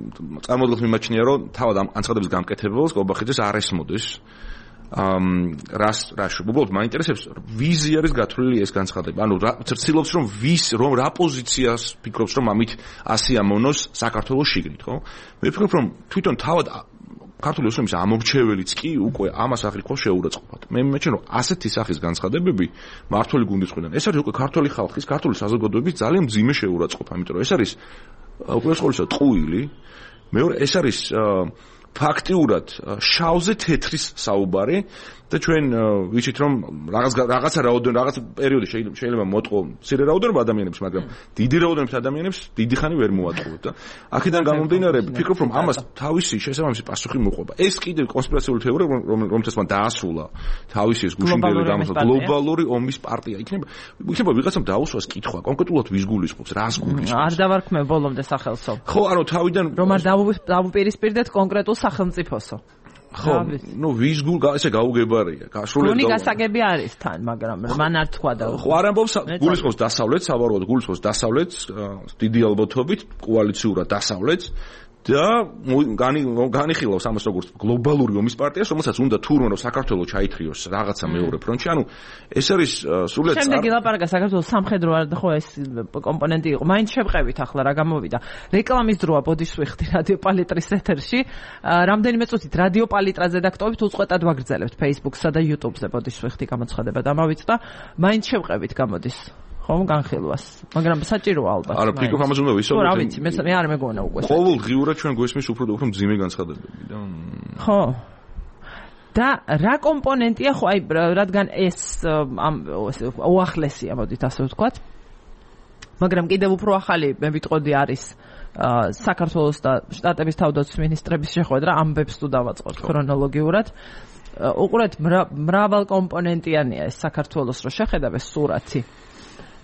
წარმოადგენს მიმაჩნია, რომ თავად ამ განცხადების გამკეთებელს გობახიძეს არ ესმოდეს. რას უბრალოდ მაინტერესებს ვიზი არის გათვლილი ეს განცხადება. ანუ ცდილობს რომ რა პოზიციას ფიქრობს რომ ამით ასე ამოვნოს საქართველოს შიგნით, ხო? მე ვფიქრობ რომ თვითონ თავად ქართული ოსმის ამორჩეველიც კი უკვე ამას აღიქვა შეურაცხყოფად. მე მეჩნია რომ ასეთი სახის განცხადებები მართული გუნდის მხრიდან ეს არის უკვე ქართული ხალხის, ქართული საზოგადოების ძალიან მძიმე შეურაცხყოფა, იმიტომ რომ ეს არის უპირველეს ყოვლისა ტყუილი, მეორე ეს არის ფაქტიურად შავზე თეთრის საუბარი და ჩვენ ვიცით რომ რაღაცა პერიოდი შეიძლება მოტყო მცირე რაოდენობა ადამიანებს, მაგრამ დიდი რაოდენობით ადამიანებს დიდი ხანი ვერ მოატყუებთ და აქედან გამომდინარე ვფიქრობ რომ ამას თავისი შესაბამისი პასუხი მოყვება. ეს კიდევ კონსპირაციული თეორია რომელთაც მან დაასრულა თავისი ეს გუშინდელი გამოსვლა გლობალური ომის პარტია იქნება ვიღაცამ დაუსვას კითხვა კონკრეტულად ვის გულისხმობს, რას გულისხმობს. არ დავარქმევ ბოლომდე სახელსო. ხო, ანუ თავიდან რომ არ დავუპირისპირდეთ კონკრეტულ სახელმწიფოსო. ხო, ვის ესე გაუგებარია. გონი გასაგები არის თან, მაგრამ მან არ თქვა და ხო, არ ამბობს გულისხმობს დასავლეთს, საბაროად გულისხმობს დასავლეთს, დიდი ალბათობით კოალიციურად დასავლეთს და განიხილავს ამას როგორც გლობალური ომის პარტიას, რომელსაც უნდა თურმე რომ საქართველოს ჩაითრიოს რაღაცა მეორე ფრონტში. ანუ ეს არის სრულიად შემდეგი ლაპარაკა საქართველოს სამხედრო არ ხო ეს კომპონენტი იყო. მაინც შევყევით ახლა რა გამოვიდა. რეკლამის დროა ბოდიშ ვიხდი რადიო პალიტრის ეთერში. რამდენიმე წუთით რადიო პალიტრაზე დაქტობით უწყვეტად ვაგრძელებთ Facebook-სა და YouTube-ზე ბოდიშ ვიხდი გამოცხადება დამავიწყდა. მაინც შევყევით გამოდის. ხომ განხილვას, მაგრამ საჭიროა ალბათ. არა, ფიქრობ ამაზე უნდა ვისაუბროთ. რა ვიცი, მე არ მეგონა უკვე. ყოველდღიურად ჩვენ გვესმის უფრო მძიმე განცხადებები და ხო. და რა კომპონენტია ხო აი რადგან ეს უახლესია, მოდით ასე ვთქვათ. მაგრამ კიდევ უფრო ახალი მე ვიტყოდი არის საქართველოს და შტატების თავდაცვის მინისტრების შეხვედრა, ამბებს თუ დავაწყოთ ქრონოლოგიურად. უყურეთ, მრავალ კომპონენტიანია ეს საქართველოს რო შეხედავ ეს სურათი.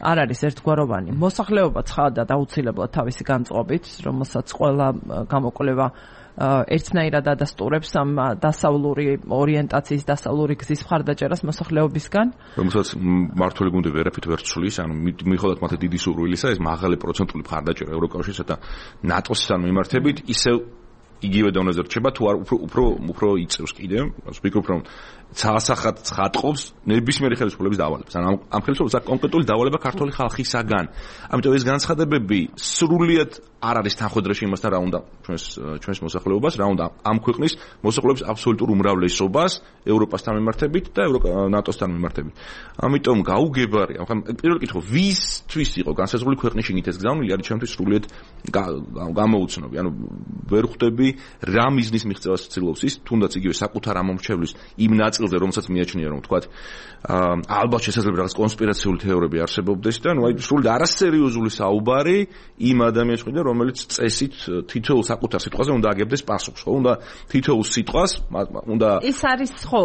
არ არის ერთგვაროვანი. მოსახლეობა ცხადად აუცილებლად თავისი განწყობით, რომელსაც ყველა გამოკვლევა ერთნაირად ადასტურებს ამ დასავლური ორიენტაციის, დასავლური გზის მხარდაჭერას მოსახლეობისგან. რომელსაც მართული გუნდი ვერაფრით ვერ ცვლის, ანუ მიუხედავად მათი დიდი სურვილისა, ეს მაღალი პროცენტული მხარდაჭერა ევროკავშირსა და ნატოსთან მიმართებით ისევ იგივე დონეზე რჩება თუ არ უფრო იწევს კიდევ. ვფიქრობ რომ საასახად ცხადყოფს ნებისმიერი ხელისუფლების დავალებას. ანუ ამ ხელისუფლებას კონკრეტული დავალება ქართული ხალხისაგან. ამიტომ ეს განცხადებები სრულიად არ არის თანხმდროში იმასთან რა უნდა ჩვენს მოსახლეობას, რა უნდა ამ ქვეყნის მოსახლეობის აბსოლუტურ უმრავლესობას ევროპასთან მიმართებით და ნატოსთან მიმართებით. ამიტომ გაუგებარია. ახლა პირველი კითხვა, ვისთვის იყო განსაზღვრული ქვეყნის შიგნით ეს გზავნილი არის ჩემთვის სრულიად გამოუცნობი. ანუ ვერ ხვდები რა მიზნის მიღწევას ცდილობს ის, თუნდაც იგივე საკუთარ ამომრჩევლის იმ ნაწილზე, რომელსაც მიაჩნია რომ თქვათ ალბათ შესაძლოა რაღაც კონსპირაციული თეორიები არსებობდეს და ნუ აი სრულად არასერიოზული საუბარი იმ ადამიანს ხვიდა რომელიც წესით თითოეულ საკუთარ სიტყვაზე უნდა აგებდეს პასუხს, ხო? უნდა თითოეულ სიტყვას უნდა ის არის ხო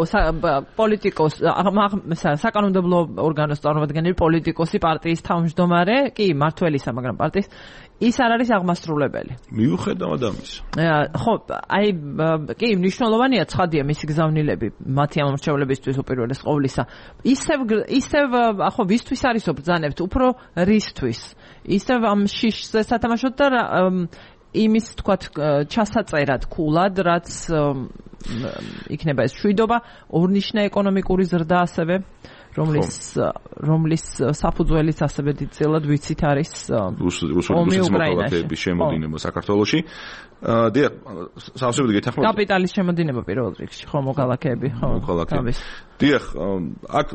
პოლიტიკოს საკანონმდებლო ორგანოს წარმომადგენელი პოლიტიკოსი პარტიის თავმჯდომარე კი მართველისა მაგრამ პარტიის ის არ არის აღმასრულებელი. მიუხედავად ამის. ხო, აი კი მნიშვნელოვანია ცხადია მისი გზავნილები მათი ამორჩევლებისთვის უპირველეს ყოვლისა. ისევ ხო ვისთვის არის ბრძანებთ უფრო რისთვის. ისევ ამ შიშზე სათამაშოდ და იმის თქვათ ჩასაწერად ქულად რაც იქნება ეს შვიდობა, ორნიშნა ეკონომიკური ზრდა ასევე რომლის საფუძველიც ასევე დიდწილად ვიცით არის რუსული მოქალაქეების შემოდინება საქართველოში. დიახ, სავსებით გეთანხმებით. კაპიტალის შემოდინება პირველ რიგში, ხო, მოქალაქეები, ხო. დიახ, აქ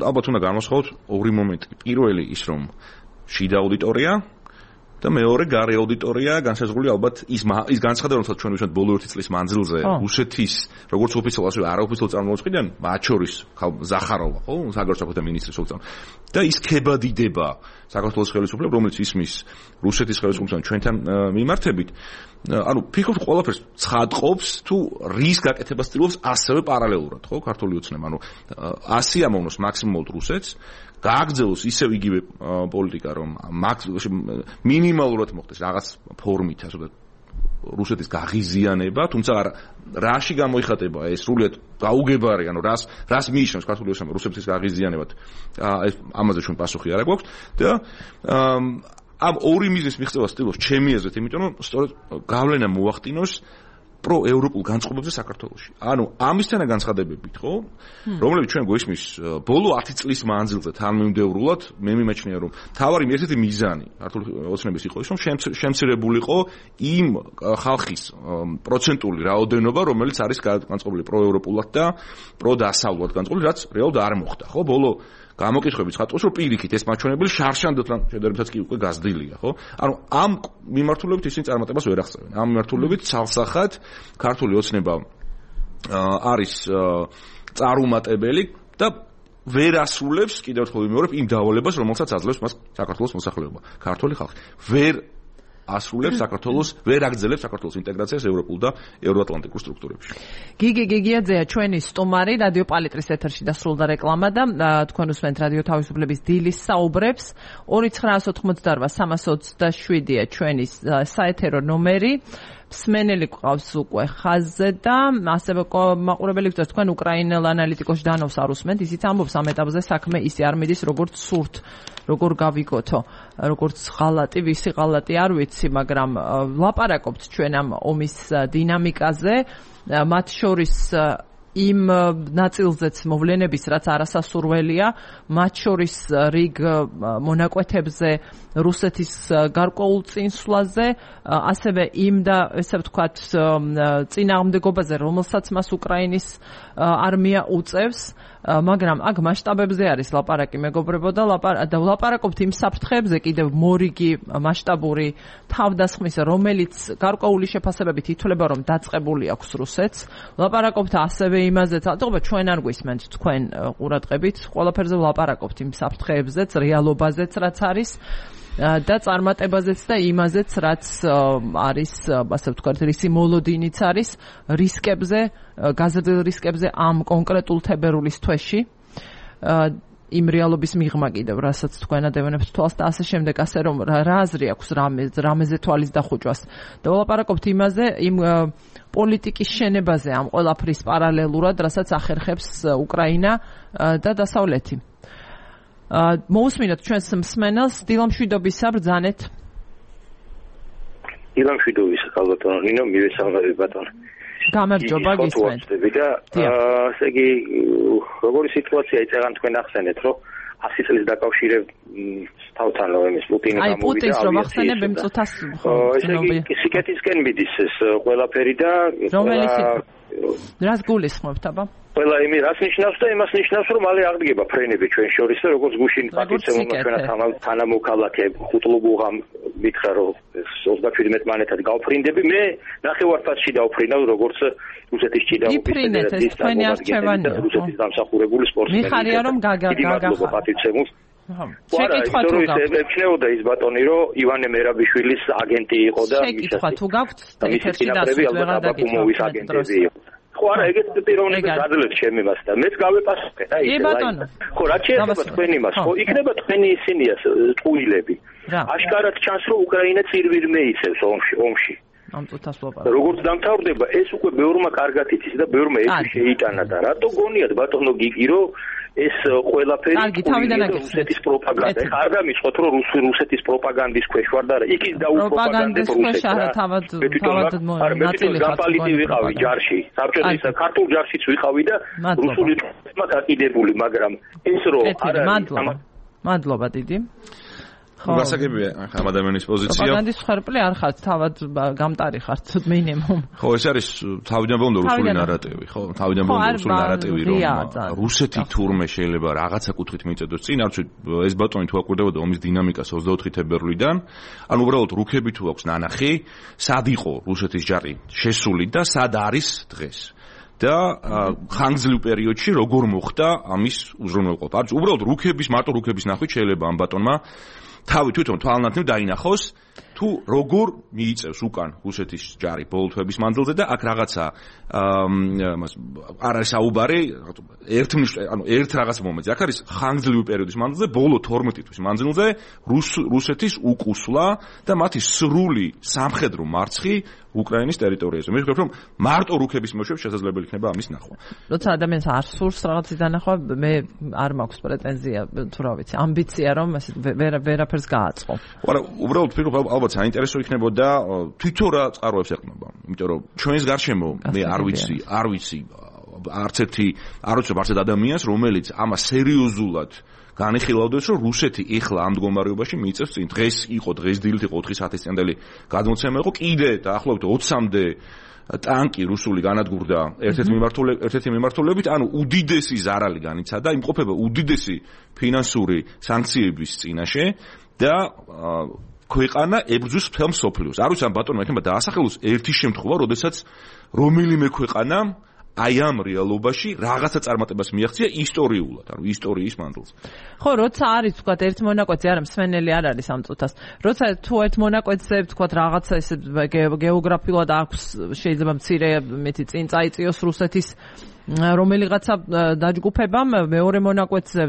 ალბათ უნდა განვასხვაოთ ორი მომენტი. პირველი ის რომ შიდა აუდიტორია და მეორე გარე აუდიტორია განსაზღვრული ალბათ ის განცხადება, რომელსაც ჩვენ ვისმენთ ბოლო 1 წლის მანძილზე რუსეთის როგორც ოფიციალურ ასევე არაოფიციალურ წარმომადგენლებიდან, მათ შორის ზახაროვა, ხო, საგარეო საქმეთა მინისტრის სულწან და ის ქებადიდება საქართველოს ხელისუფლებას, რომელიც ისმის რუსეთის ხელისუფლებას ჩვენთან მიმართებით, ანუ ფიქრობ ყველაფერს ცხადყოფს თუ რის გაკეთებას ცდილობს ასევე პარალელურად, ხო, ქართული ოცნება, ანუ 100 ამოვნოს მაქსიმუმად რუსეთს გააგრძელოს ისევ იგივე პოლიტიკა, რომ მინიმალურად მოხდეს რაღაც ფორმით, ასე ვთქვათ, რუსეთის გაღიზიანება, თუმცა რაში გამოიხატება ეს სრულიად გაუგებარი, ანუ რას მიიჩნევს ქართული ოცნება რუსეთის გაღიზიანებად, ამაზე ჩვენ პასუხი არ აქვს და ამ ორი მიზნის მიღწევას ცდილობს ჩემი აზრით, იმიტომ რომ სწორედ გავლენა მოახდინოს პროევროპულ განწყობებზე საქართველოში. ანუ ამისთანა განცხადებებით, ხო, რომლებიც ჩვენ გვესმის ბოლო 10 წლის მანძილზე თანმიმდევრულად, მე მიმაჩნია, რომ თავარი ერთ-ერთი მიზანი ქართული ოცნების იყო ის, რომ შემცირებულიყო იმ ხალხის პროცენტული რაოდენობა, რომელიც არის განწყობილი პროევროპულად და პროდასავლურად განწყობილი, რაც რეალურად არ მოხდა, ხო, ბოლო გამოკითხების ხატოს რომ პირიქით ეს მაჩვენებელი შარშანდოთან შედარებითაც კი უკვე გაზრდილია, ხო? ანუ ამ მიმართულებით ისინი წარმატებას ვერ აღწევენ. ამ მიმართულებით ცალსახად ქართული ოცნება არის წარუმატებელი და ვერ ასრულებს კიდევ ერთხელ ვიმეორებ იმ დავალებას, რომელსაც აძლევს მას საქართველოს მოსახლეობა. ქართული ხალხი ვერ ასრულებს საქართველოს, ვერ აგრძელებს საქართველოს ინტეგრაციას ევროპულ და ევროატლანტიკურ სტრუქტურებში. გიგი გიგიაძეა ჩვენი სტუმარი, რადიო პალიტრის ეთერში დასრულდა რეკლამა და თქვენ უსმენთ რადიო თავისუფლების დილის საუბრებს. 299-327-ია ჩვენი საეთერო ნომერი. მსმენელი გვყავს უკვე ხაზზე და ასევე მაყურებელი გვწევს თქვენ უკრაინელ ანალიტიკოს დანოს არ უსმენთ, ისიც ამბობს ამ ეტაპზე საქმე ისე არ მიდის როგორც სურთ, როგორ გავიგოთო, როგორც ღალატი, ვისი ღალატი არ ვიცი, მაგრამ ვლაპარაკობთ ჩვენ ამ ომის დინამიკაზე, მათ შორის იმ ნაწილზეც მოვლენების, რაც არასასურველია, მათ შორის რიგ მონაკვეთებზე რუსეთის გარკვეულ წინსვლაზე, ასევე იმ და ესე ვთქვათ წინააღმდეგობაზე, რომელსაც მას უკრაინის არმია უწევს, მაგრამ აქ მასშტაბებზე არის ლაპარაკი, მეგობრებო, და ვლაპარაკობთ იმ საფრთხეებზე კიდევ მორიგი მასშტაბური თავდასხმის, რომელიც გარკვეული შეფასებებით ითვლება, რომ დაწყებული აქვს რუსეთს. ვლაპარაკობთ ასევე იმაზე, თუმცა ჩვენ არ გვისმენთ თქვენ ყურადღებით, ყველაფერზე ვლაპარაკობთ იმ საფრთხეებზეც, რეალობაზეც, რაც არის და წარმატებაზეც და იმაზეც, რაც არის, ასე ვთქვათ, რისი მოლოდინიც არის რისკებზე, გაზრდილ რისკებზე ამ კონკრეტულ თებერვლის თვეში. იმ რეალობის მიღმა კიდევ, რასაც თქვენ ადევენებთ თვალს და ასე შემდეგ, ასე რომ რა აზრი აქვს რამეზე თვალის დახუჭვას. და ვლაპარაკობთ იმაზე, იმ პოლიტიკის შენებაზე ამ ყველაფრის პარალელურად, რასაც ახერხებს უკრაინა და დასავლეთი. მოусმინოთ ჩვენს მსმენელს, დილამშვიდობისა ბრძანეთ. დილამშვიდობის ალბათონ, ნინო მივესალმები ბატონო. გამარჯობა გისმენთ. ესე იგი, როგორი სიტუაცია იწევან თქვენ ახსენეთ, რომ 100 წლის დაკავშირებ თავთან რომ ეს პუტინი გამოვიდა. აი პუტინს რომ ახსენებ იმ წუთას სიკეთისკენ მიდის ეს ყველაფერი და რას გულისხმობთ აბა? ყველა იმის რას ნიშნავს და იმას ნიშნავს რომ მალე აღდგება ფრენები ჩვენ შორის და როგორც გუშინ პატიცემულმა ჩვენად თანამოქალაქე ხუტლუბუღამ მითხრა რომ 37 მანეთად გავფრინდები, მე ნახევარფასში დავფრინავ როგორც რუსეთის ჭიდაობის თქვენი არჩევანია რუსეთის დამსახურებული სპორტსმენი. მიხარია რომ გაგახსნა პატიცემულს. შეკითხვა თუ გაქვთ. ექნეოდა ის ბატონი რომ ივანე მერაბიშვილის აგენტი იყო და შეკითხვა თუ გაქვთ ეთერში დასვლა დაგიკმოვის აგენტები იყო. ხო არა, ეგეც პიროვნებას აძლევს ჩემი მას და მეც გავეპასუხე და ისე. ბატონო. ხო, რა შეიძლება თქვენი მას, ხო, იქნება თქვენი ისინია ტყუილები. აშკარად ჩანს რომ უკრაინა წირვირმე იცევს ომში. ამ წუთას ვაპარაკობ. როგორც დამთავრდება, ეს უკვე ბევრმა კარგად იცის და ბევრმა ეს შეიტანა და რატო გონიათ ბატონო გიგი რომ ეს ყველაფერი რუსეთის პროპაგანდა. ეხლა არ გამიწყოთ რომ რუსეთის პროპაგანდის ქვეშ ვარ და იქის დაუპროპაგანდებ რუსეთს. თავად ნაწილი გაპალიტი ვიყავი ჯარში. საბჭოთა ქართულ ჯარშიც ვიყავი და რუსული თემა გაკიდებული, მაგრამ ეს რომ მადლობა დიდი. გასაგებია ამ ადამიანის პოზიცია. პროპაგანდის ხერხი არ ხართ, თავად გამტარი ხართ მინიმუმ. ხო, ეს არის თავიდან ბოლომდე რუსული ნარატივი, ხო? თავიდან ბოლომდე რუსული ნარატივი, რომ რუსეთი თურმე შეიძლება რაღაცა კუთხით მიწედოს წინ, არც ეს ბატონი თუ აკვირდებოდა ომის დინამიკას 24 თებერვლიდან, ანუ უბრალოდ რუქები თუ აქვს ნანახი, სად იყო რუსეთის ჯარი შესული და სად არის დღეს. და ხანგრძლივ პერიოდში როგორ მოხდა ამის უზრუნველყოფა. არც უბრალოდ მარტო რუქების ნახვით შეიძლება ამ ბატონმა თავი თვითონ თვალნათნივ დაინახოს თუ როგორ მიიწევს უკან რუსეთის ჯარი ბოლო თვეების მანძილზე და აქ რაღაცა არ არის საუბარი ერთ რაღაც მომენტზე. აქ არის ხანგრძლივი პერიოდის მანძილზე ბოლო 12 თვის მანძილზე რუსეთის უკუსვლა და მათი სრული სამხედრო მარცხი უკრაინის ტერიტორიაზე. მე ვფიქრობ, რომ მარტო რუქების მეშვეობით შესაძლებელი იქნება ამის ნახვა. როცა ადამიანს არ სურს რაღაცის დანახვა, მე არ მაქვს პრეტენზია, თუ რა ვიცი, ამბიცია რომ ასე ვერაფერს გააწყო. არა, უბრალოდ ვფიქრობ, ალბათ საინტერესო იქნებოდა თვითონ რა წყაროებს ეყნება. იმიტომ რომ ჩვენს გარშემო მე არ ვიცი არც ერთ ადამიანს, რომელიც ამას სერიოზულად განიხილავდეს, რომ რუსეთი ეხლა ამ მდგომარეობაში მიიწევს წინ. დღეს დილით იყო 4 საათის წინდელი გადმოცემა იყო, კიდე დაახლოებით 20-მდე ტანკი რუსული განადგურდა ერთ-ერთი მიმართულებით, ანუ უდიდესი ზარალი განიცადა, იმყოფება უდიდესი ფინანსური სანქციების წინაშე და ქვეყანა ებრძვის მთელ მსოფლიოს. არ ვიცი ამ ბატონმა იქნება დაასახელოს ერთი შემთხვევა, როდესაც რომელიმე ქვეყანა აი ამ რეალობაში რაღაცა წარმატებას მიაღწია ისტორიულად, ანუ ისტორიის მანძილზე. ხო, როცა არის თქვათ ერთ მონაკვეთზე, არა მსმენელი არ არის ამ წუთას. როცა თუ ერთ მონაკვეთზე თქვათ რაღაცა ესე გეოგრაფიულად აქვს შეიძლება მცირე მეტი წინ წაიწიოს რუსეთის რომელიღაცა დაჯგუფებამ, მეორე მონაკვეთზე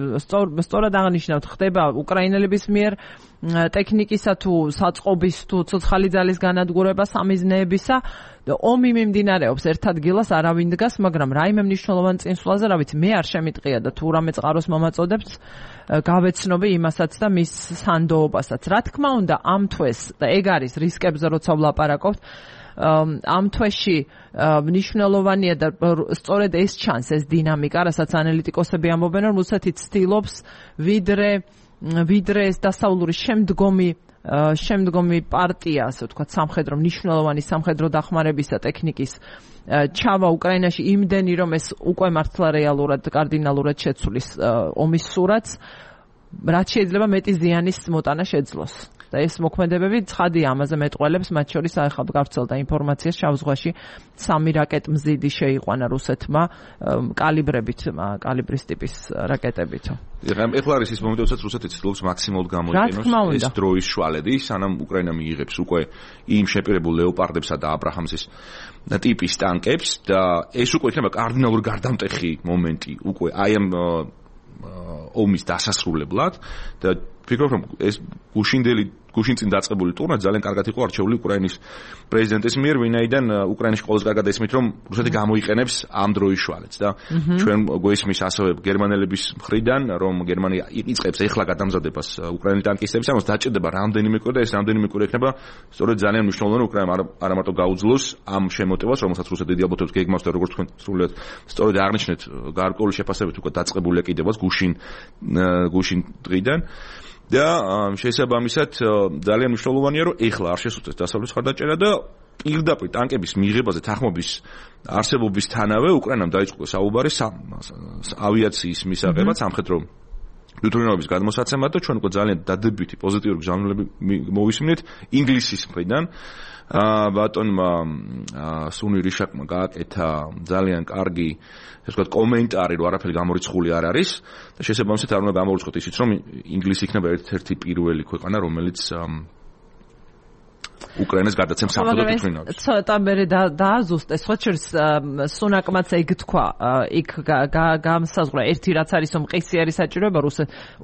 სწორად აღნიშნავთ, ხდება უკრაინელების მიერ ტექნიკისა თუ საწყობის თუ ცოცხალი ძალის განადგურება სამიზნეებისა. ომი მიმდინარეობს ერთ ადგილას, არავინ დგას, მაგრამ რაიმე მნიშვნელოვან წინსვლაზე, რა ვიცი, მე არ შემიტყია და თუ რამე წყაროს მომაწოდებთ, გავეცნობი იმასაც და მის სანდოობასაც. რა თქმა უნდა, ამ თვეს და ეგ არის რისკებზე, როცა ვლაპარაკობთ, ამ თვეში მნიშვნელოვანია და სწორედ ეს ჩანს, ეს დინამიკა, რასაც ანალიტიკოსები ამბობენ, რომ რუსეთი ცდილობს ვიდრე ეს დასავლური შემდგომი პარტია, ასე ვთქვათ, სამხედრო მნიშვნელოვანი სამხედრო დახმარებისა ტექნიკის ჩავა უკრაინაში იმდენი, რომ ეს უკვე მართლა რეალურად კარდინალურად შეცვლის ომის სურათს, რაც შეიძლება მეტი ზიანის მოტანა შეძლოს. და ეს მოქმედებები ცხადია ამაზე მეტყველებს, მათ შორის ახლა გავრცელდა ინფორმაცია შავ ზღვაში 3 რაკეტმზიდი შეიყვანა რუსეთმა კალიბრის ტიპის რაკეტებით. ეხლა არის ის მომენტი, როდესაც რუსეთი ცდილობს მაქსიმალურად გამოიყენოს ეს დროის შვალები, სანამ უკრაინა მიიღებს უკვე იმ შეპირებულ ლეოპარდებსა და აბრაჰამსის ტიპის ტანკებს და ეს უკვე იქნება კარდინალურად გარდამტეხი მომენტი უკვე აი ამ ომის დასასრულებლად და ვფიქრობ, რომ ეს გუშინწინ დაწყებული ტურნე ძალიან კარგად იყო არჩეული უკრაინის პრეზიდენტის მიერ, ვინაიდან უკრაინაში ყოველს კარგად ესმით, რომ რუსეთი გამოიყენებს ამ დროის შვალებს და ჩვენ გვესმის ასევე გერმანელების მხრიდან, რომ გერმანია იწყებს ეხლა გადამზადებას უკრაინის ტანკისტების, ამას დაჭირდება რამდენიმე კვირა და ეს რამდენიმე კვირა იქნება სწორედ ძალიან მნიშვნელოვანი უკრაინა არა მარტო გაუძლოს ამ შემოტევას, რომელსაც რუსეთი დიდი ალბათობით გეგმავს და როგორც თქვენ სრულიად სწორედ აღნიშნეთ, გარკვეული შეფასებით უკვე დაწყებულია კიდევაც გუშინ დღიდან. და შესაბამისად ძალიან მნიშვნელოვანია, რომ ეხლა არ შესუძლეს დასავლეთის მხარდაჭერა და პირდაპირ ტანკების მიღებაზე თანხმობის არსებობისთანავე უკრაინამ დაიწყო საუბარი ავიაციის მისაღებად, სამხედრო ლითონების გადმოსაცემად და ჩვენ უკვე ძალიან დადებითი პოზიტიური გზავნილები მოვისმინეთ ინგლისის მხრიდან. ბატონმა სუნი რიშაკმა გააკეთა ძალიან კარგი ესე ვთქვათ კომენტარი, რომ არაფერი გამორიცხული არ არის და შესაბამისად არ უნდა გამორიცხოთ ისიც, რომ ინგლისი იქნება ერთ-ერთი პირველი ქვეყანა, რომელიც უკრაინას გადაცემს სამხედრო თვითმფრინავებს. ცოტა მერე დააზუსტეს, სხვა შორის სუნაკმაც ეგ თქვა, იქ გამსაზღვრა ერთი რაც არის მყისიერი საჭიროება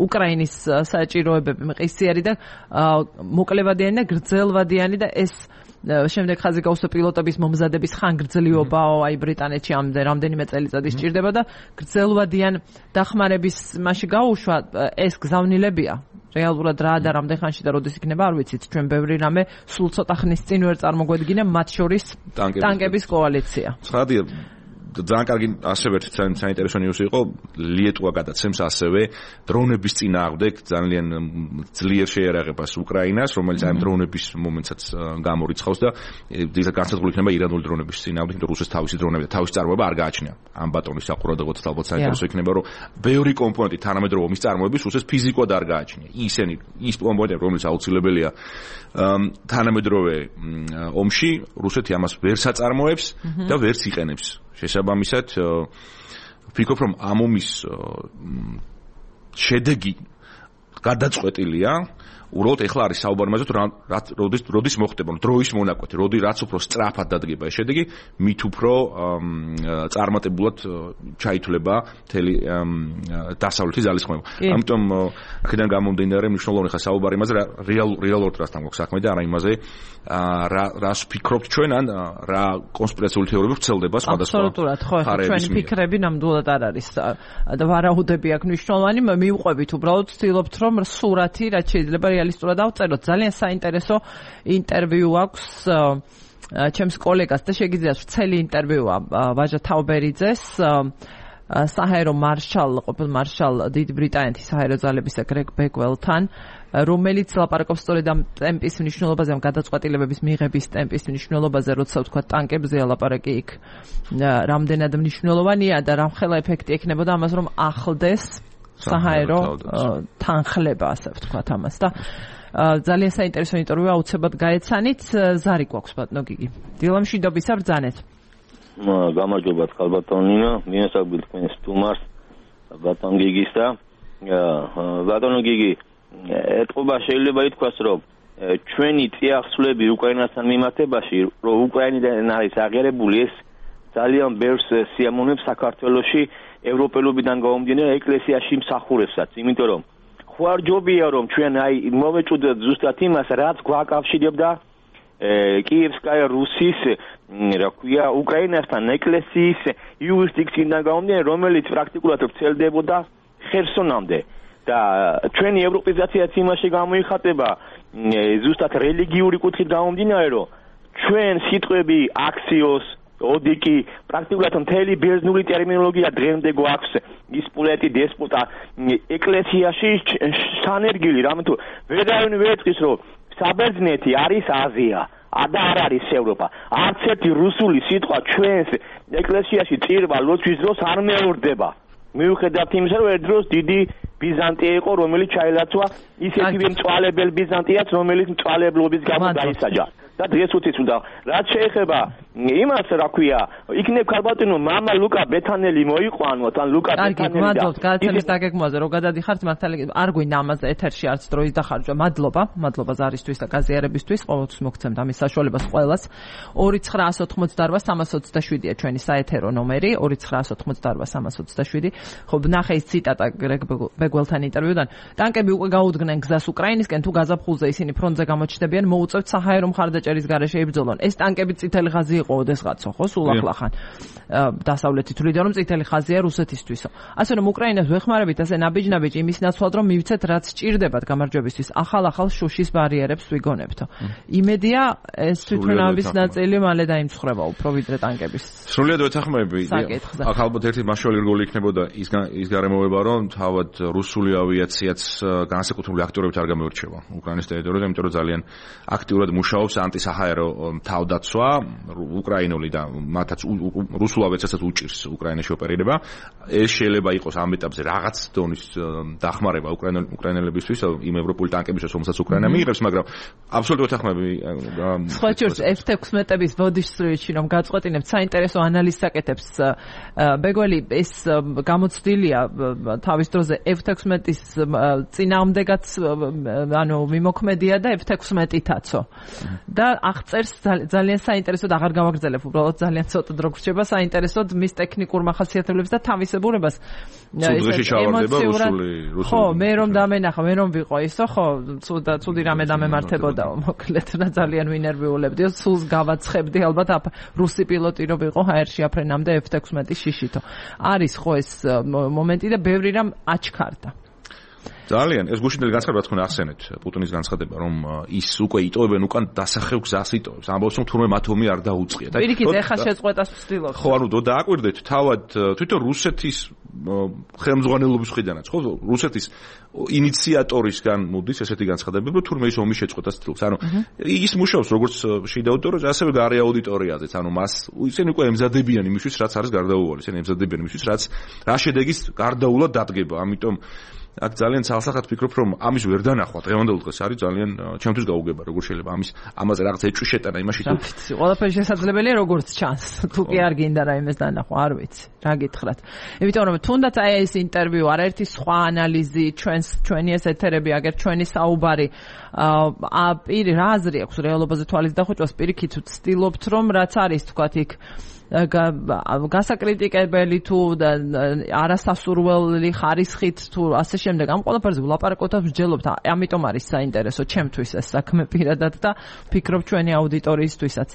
უკრაინის საჭიროებები მყისიერი და მოკლევადიანი და გრძელვადიანი და ეს შემდეგ ხაზი გაუსვა პილოტების მომზადების ხანგრძლივობა, აი ბრიტანეთში რამდენიმე წელიწადი სჭირდება და გრძელვადიან დახმარების მასში გაუშვა ეს გზავნილებია. რეალურად რა და რამდენ ხანში და როდის იქნება არ ვიცით, ჩვენ ბევრი რამე სულ ცოტა ხნის წინ ვერ წარმოგვედგინა, მათ შორის ტანკების კოალიცია. ცხადია ძალიან კარგი ასევე საინტერესო ნიუსი იყო ლიეტუვა გადაცემს ასევე დრონების წინააღმდეგ ძალიან ძლიერ შეიარაღებას უკრაინას, რომელიც აი დრონების მომენტსაც გამორიცხავს და განსაზღვრული იქნება ირანული დრონების წინააღმდეგ, იმიტომ რომ რუსეთს თავისი დრონები და თავისი წარმოება არ გააჩნია. ამ ბატონის საყურადღებოდ ალბათ საინტერესო იქნება, რომ ბევრი კომპონენტი თანამედროვე ომის წარმოების რუსეთს ფიზიკურად არ გააჩნია. ის კომპონენტები, რომელიც აუცილებელია თანამედროვე ომში, რუსეთი ამას ვერ საწარმოებს და ვერც იყენებს. შესაბამისად, ვფიქრობ, რომ ამ ომის შედეგი გადაწყვეტილია. უბრალოდ ეხლა არის საუბარი იმაზე, როდის მოხდება, დროის მონაკვეთი, რაც უფრო სწრაფად დადგება ეს შედეგი, მით უფრო წარმატებულად ჩაითვლება მთელი დასავლეთის ძალისხმევა. ამიტომ აქედან გამომდინარე მნიშვნელოვანი ხა საუბარი იმაზე, რეალურად რასთან გვაქვს საქმე და არა იმაზე, რას ვფიქრობთ ჩვენ, ან რა კონსპირაციული თეორიები ვრცელდება სხვადასხვა. აბსოლუტურად, ხო, ჩვენი ფიქრები ნამდვილად არ არის და ვარაუდები აქვს მნიშვნელოვანი, მივყვებით უბრალოდ ვცდილობთ რომ სურათი რაც შეიძლება რეალისტურად ავწეროთ. ძალიან საინტერესო ინტერვიუ აქვს ჩემს კოლეგას და შეგიძლიათ ვრცელი ინტერვიუა ვაჟა თაუბერიძეს საჰაერო ყოფილ მარშალ დიდ ბრიტანეთის საჰაერო ძალებისა გრეგ ბეგველთან, რომელიც ლაპარაკობს სწორედ ამ ტემპის მნიშვნელობაზე, ამ გადაწყვეტილებების მიღების ტემპის მნიშვნელობაზე, როცა ვთქვა ტანკებზე ლაპარაკი იქ რამდენად მნიშვნელოვანია და რამხელა ეფექტი ექნებოდა ამას, რომ ახლდეს საჰაერო თანხლება, ასე ვთქვათ ამას და ძალიან საინტერესო ინტერვიუ აუცილებლად გაეცანით. ზარი გვაქვს ბატონო გიგი. დილამ მშვიდობისა, ბრძანეთ. გამარჯობა ხალბატონინო, მიესალმებით თქვენ სტუმარს ბატონ გიგის და ბატონო გიგი, ეთყობა შეიძლება ითქვას, რომ ჩვენი წიაღსვლები უკრაინასთან მიმართებაში, რომ უკრაინიდან არის აღიარებული, ეს ძალიან ბევრს სიამოვნებს საქართველოში ევროპელობიდან გამომდინარე ეკლესიაში მსახურებსაც, იმიტომ რომ ხوار ჯობია რომ ჩვენ აი მოვეჭუდოთ ზუსტად იმას, რაც გვაკავშირებდა კიევსკაია რუსის, რა ქვია, უკრაინასთან ეკლესიის იურისდიქციიდან გამომდინარე, რომელიც პრაქტიკულად ვრცელდებოდა ხერსონამდე და ჩვენი ევროპიზაციაც იმაში გამოიხატება ზუსტად რელიგიური კუთხით გამომდინარე, რომ ჩვენ სიტყვები აქსიოს ოდიკი პრაქტიკულად მთელი ბერძნული ტერმინოლოგია დღემდე გვაქვს ის პულეტი დესპოტა ეკლესიაში სანერგილი რამე თუ ვერავინ ვერ ეთქვის რომ საბერძნეთი არის აზია და არ არის ევროპა. არც ერთი რუსული სიტყვა ჩვენს ეკლესიაში წირვა ლოცვის დროს არ მეორდება. მიუხედავად იმისა, რომ ერთ დროს დიდი ბიზანტია იყო, რომელიც ჩაილაცვა ისეთივე მწვალებელ ბიზანტიას, რომელიც მწვალებლობის გამო დაისაჯა. და დღეს უცით უნდა რაც შეეხება იმას, რა ქვია, იქნებ ქალბატონო მამა ლუკა ბეთანელი მოიყვანოთ, ან ლუკა ბეთანელი. მადლობთ გადაცემის დაგეგმვაზე, რომ გადადიხართ მართალი არ გვინდა ამაზე ეთერში არც დროის დახარჯვა. მადლობა ზარისთვის და გაზიარებისთვის, ყოველთვის მოგცემთ ამის საშუალებას ყველას. 2988327-ია ჩვენი საეთერო ნომერი, 2988327. ხო, ნახე ის ციტატა გრეგ ბეგველთან ინტერვიუდან. ტანკები უკვე გაუდგნენ გზას უკრაინისკენ, თუ გაზაფხულზე ისინი ფრონტზე გამოჩნდებიან, მოუწევთ საჰაერო მხარდაჭერის გარეშე იბრძოლონ. ეს ტანკები წითელი ხაზი იყო ოდესღაცო, ხო, სულ ახლახან. დასავლეთით თვლიდა, რომ წითელი ხაზია რუსეთისთვისო. ასე რომ უკრაინას ვეხმარებით ასე ნაბიჯ-ნაბიჯ იმის ნაცვლად, რომ მივცეთ რაც ჭირდებათ გამარჯვებისთვის, ახალ შუშის ბარიერებს ვიგონებთო. იმედია ეს თვითმფრინავების ნაწილი მალე დაიმსხვრება უფრო ვიდრე ტანკების. სრულიად ვეთანხმები. აქ ალბათ ერთი მასშტაბური რგოლი იქნებოდა ის გარემოება, რომ თავად რუსული ავიაციაც განსაკუთრებული აქტიურობით არ გამოირჩევა უკრაინის ტერიტორიაზე, იმიტომ რომ ძალიან აქტიურად მუშაობს ანტისაჰაერო თავდაცვა, უკრაინული და მათაც რუსულ ავიაციასაც უჭირს უკრაინაში ოპერირება. ეს შეიძლება იყოს ამ ეტაპზე რაღაც დონის დახმარება უკრაინელებისთვის, იმ ევროპული ტანკებისთვის, რომელსაც უკრაინა მიიღებს, მაგრამ აბსოლუტურად ვეთანხმები. სხვა შორს F-16-ების ბოდიშსრიჩი რომ გაწყვეტინებთ საინტერესო ანალიზს აკეთებს ბეგველი, ეს გამოცდილია თავის დროზე F-16-ის წინააღმდეგაც მიმოქმედია და F-16-ითაცო. და აღწერს ძალიან საინტერესოდ, აღარ გავაგრძელებ, უბრალოდ ძალიან ცოტა დრო გრჩება საინტერესოდ მის ტექნიკურ მახასიათებლებს და თავისებურებას. ხო, მე რომ დამენახა, მე რომ ვიყო ისო, ხო, ცუდი რამე დამემართებოდაო, მოკლედ და ძალიან ვინერვიულებდიო, სულს გავაცხებდი ალბათ რუსი პილოტი რო ვიყო ჰაერში აფრენამდე F-16-ის შიშითო. არის ხო ეს მომენტი და ბევრი რამ აჩქარდა. ძალიან ეს გუშინდელი განცხადება თქვენ ახსენეთ პუტინის განცხადება რომ ის უკვე იტოვებენ უკან დასახევ გზას იტოვებს ამბობს რომ თურმე მათ ომი არ დაუწყია და პირიქით ეხა შეწყვეტას ვცდილობთ ხო ანუ დააკვირდეთ თავად თვითონ რუსეთის ხელმძღვანელობის მხრიდანაც ხო რუსეთის ინიციატორისგან მოდის ესეთი განცხადებები რომ თურმე ის ომის შეწყვეტას ვცდილობს ანუ ის მუშაობს როგორც შიდა აუდიტორია ასევე გარე აუდიტორიაზეც ანუ მას ისინი უკვე ემზადებიან იმისთვის რაც არის გარდაუვალი ისინი ემზადებიან იმისთვის რაც რა შედეგის გარდაულად დადგება ამიტომ აქ ძალიან ცალსახად ვფიქრობ რომ ამის ვერ დანახვა დღევანდელ დღეს არის ძალიან ჩემთვის გაუგება როგორ შეიძლება ამაზე რაღაც ეჭვი შეტანა იმაში თუ ყველაფერი შესაძლებელია როგორც ჩანს თუ კი არ გინდა რაიმეს დანახვა არ ვიცი რა გითხრათ იმიტომ რომ თუნდაც აი ეს ინტერვიუ არაერთი სხვა ანალიზი ჩვენი ეს ეთერები აგერ ჩვენი საუბარი პირი რა აზრი აქვს რეალობაზე თვალის დახვეჭვას პირიქით ვცდილობთ რომ რაც არის თქვათ იქ გასაკრიტიკებელი თუ არასასურველი ხარისხით თუ ასე შემდეგ ამ ყველაფერზე ვლაპარაკოთ და ვსჯელობთ ამიტომ არის საინტერესო ჩემთვის ეს საქმე პირადად და ვფიქრობ ჩვენი აუდიტორიისთვისაც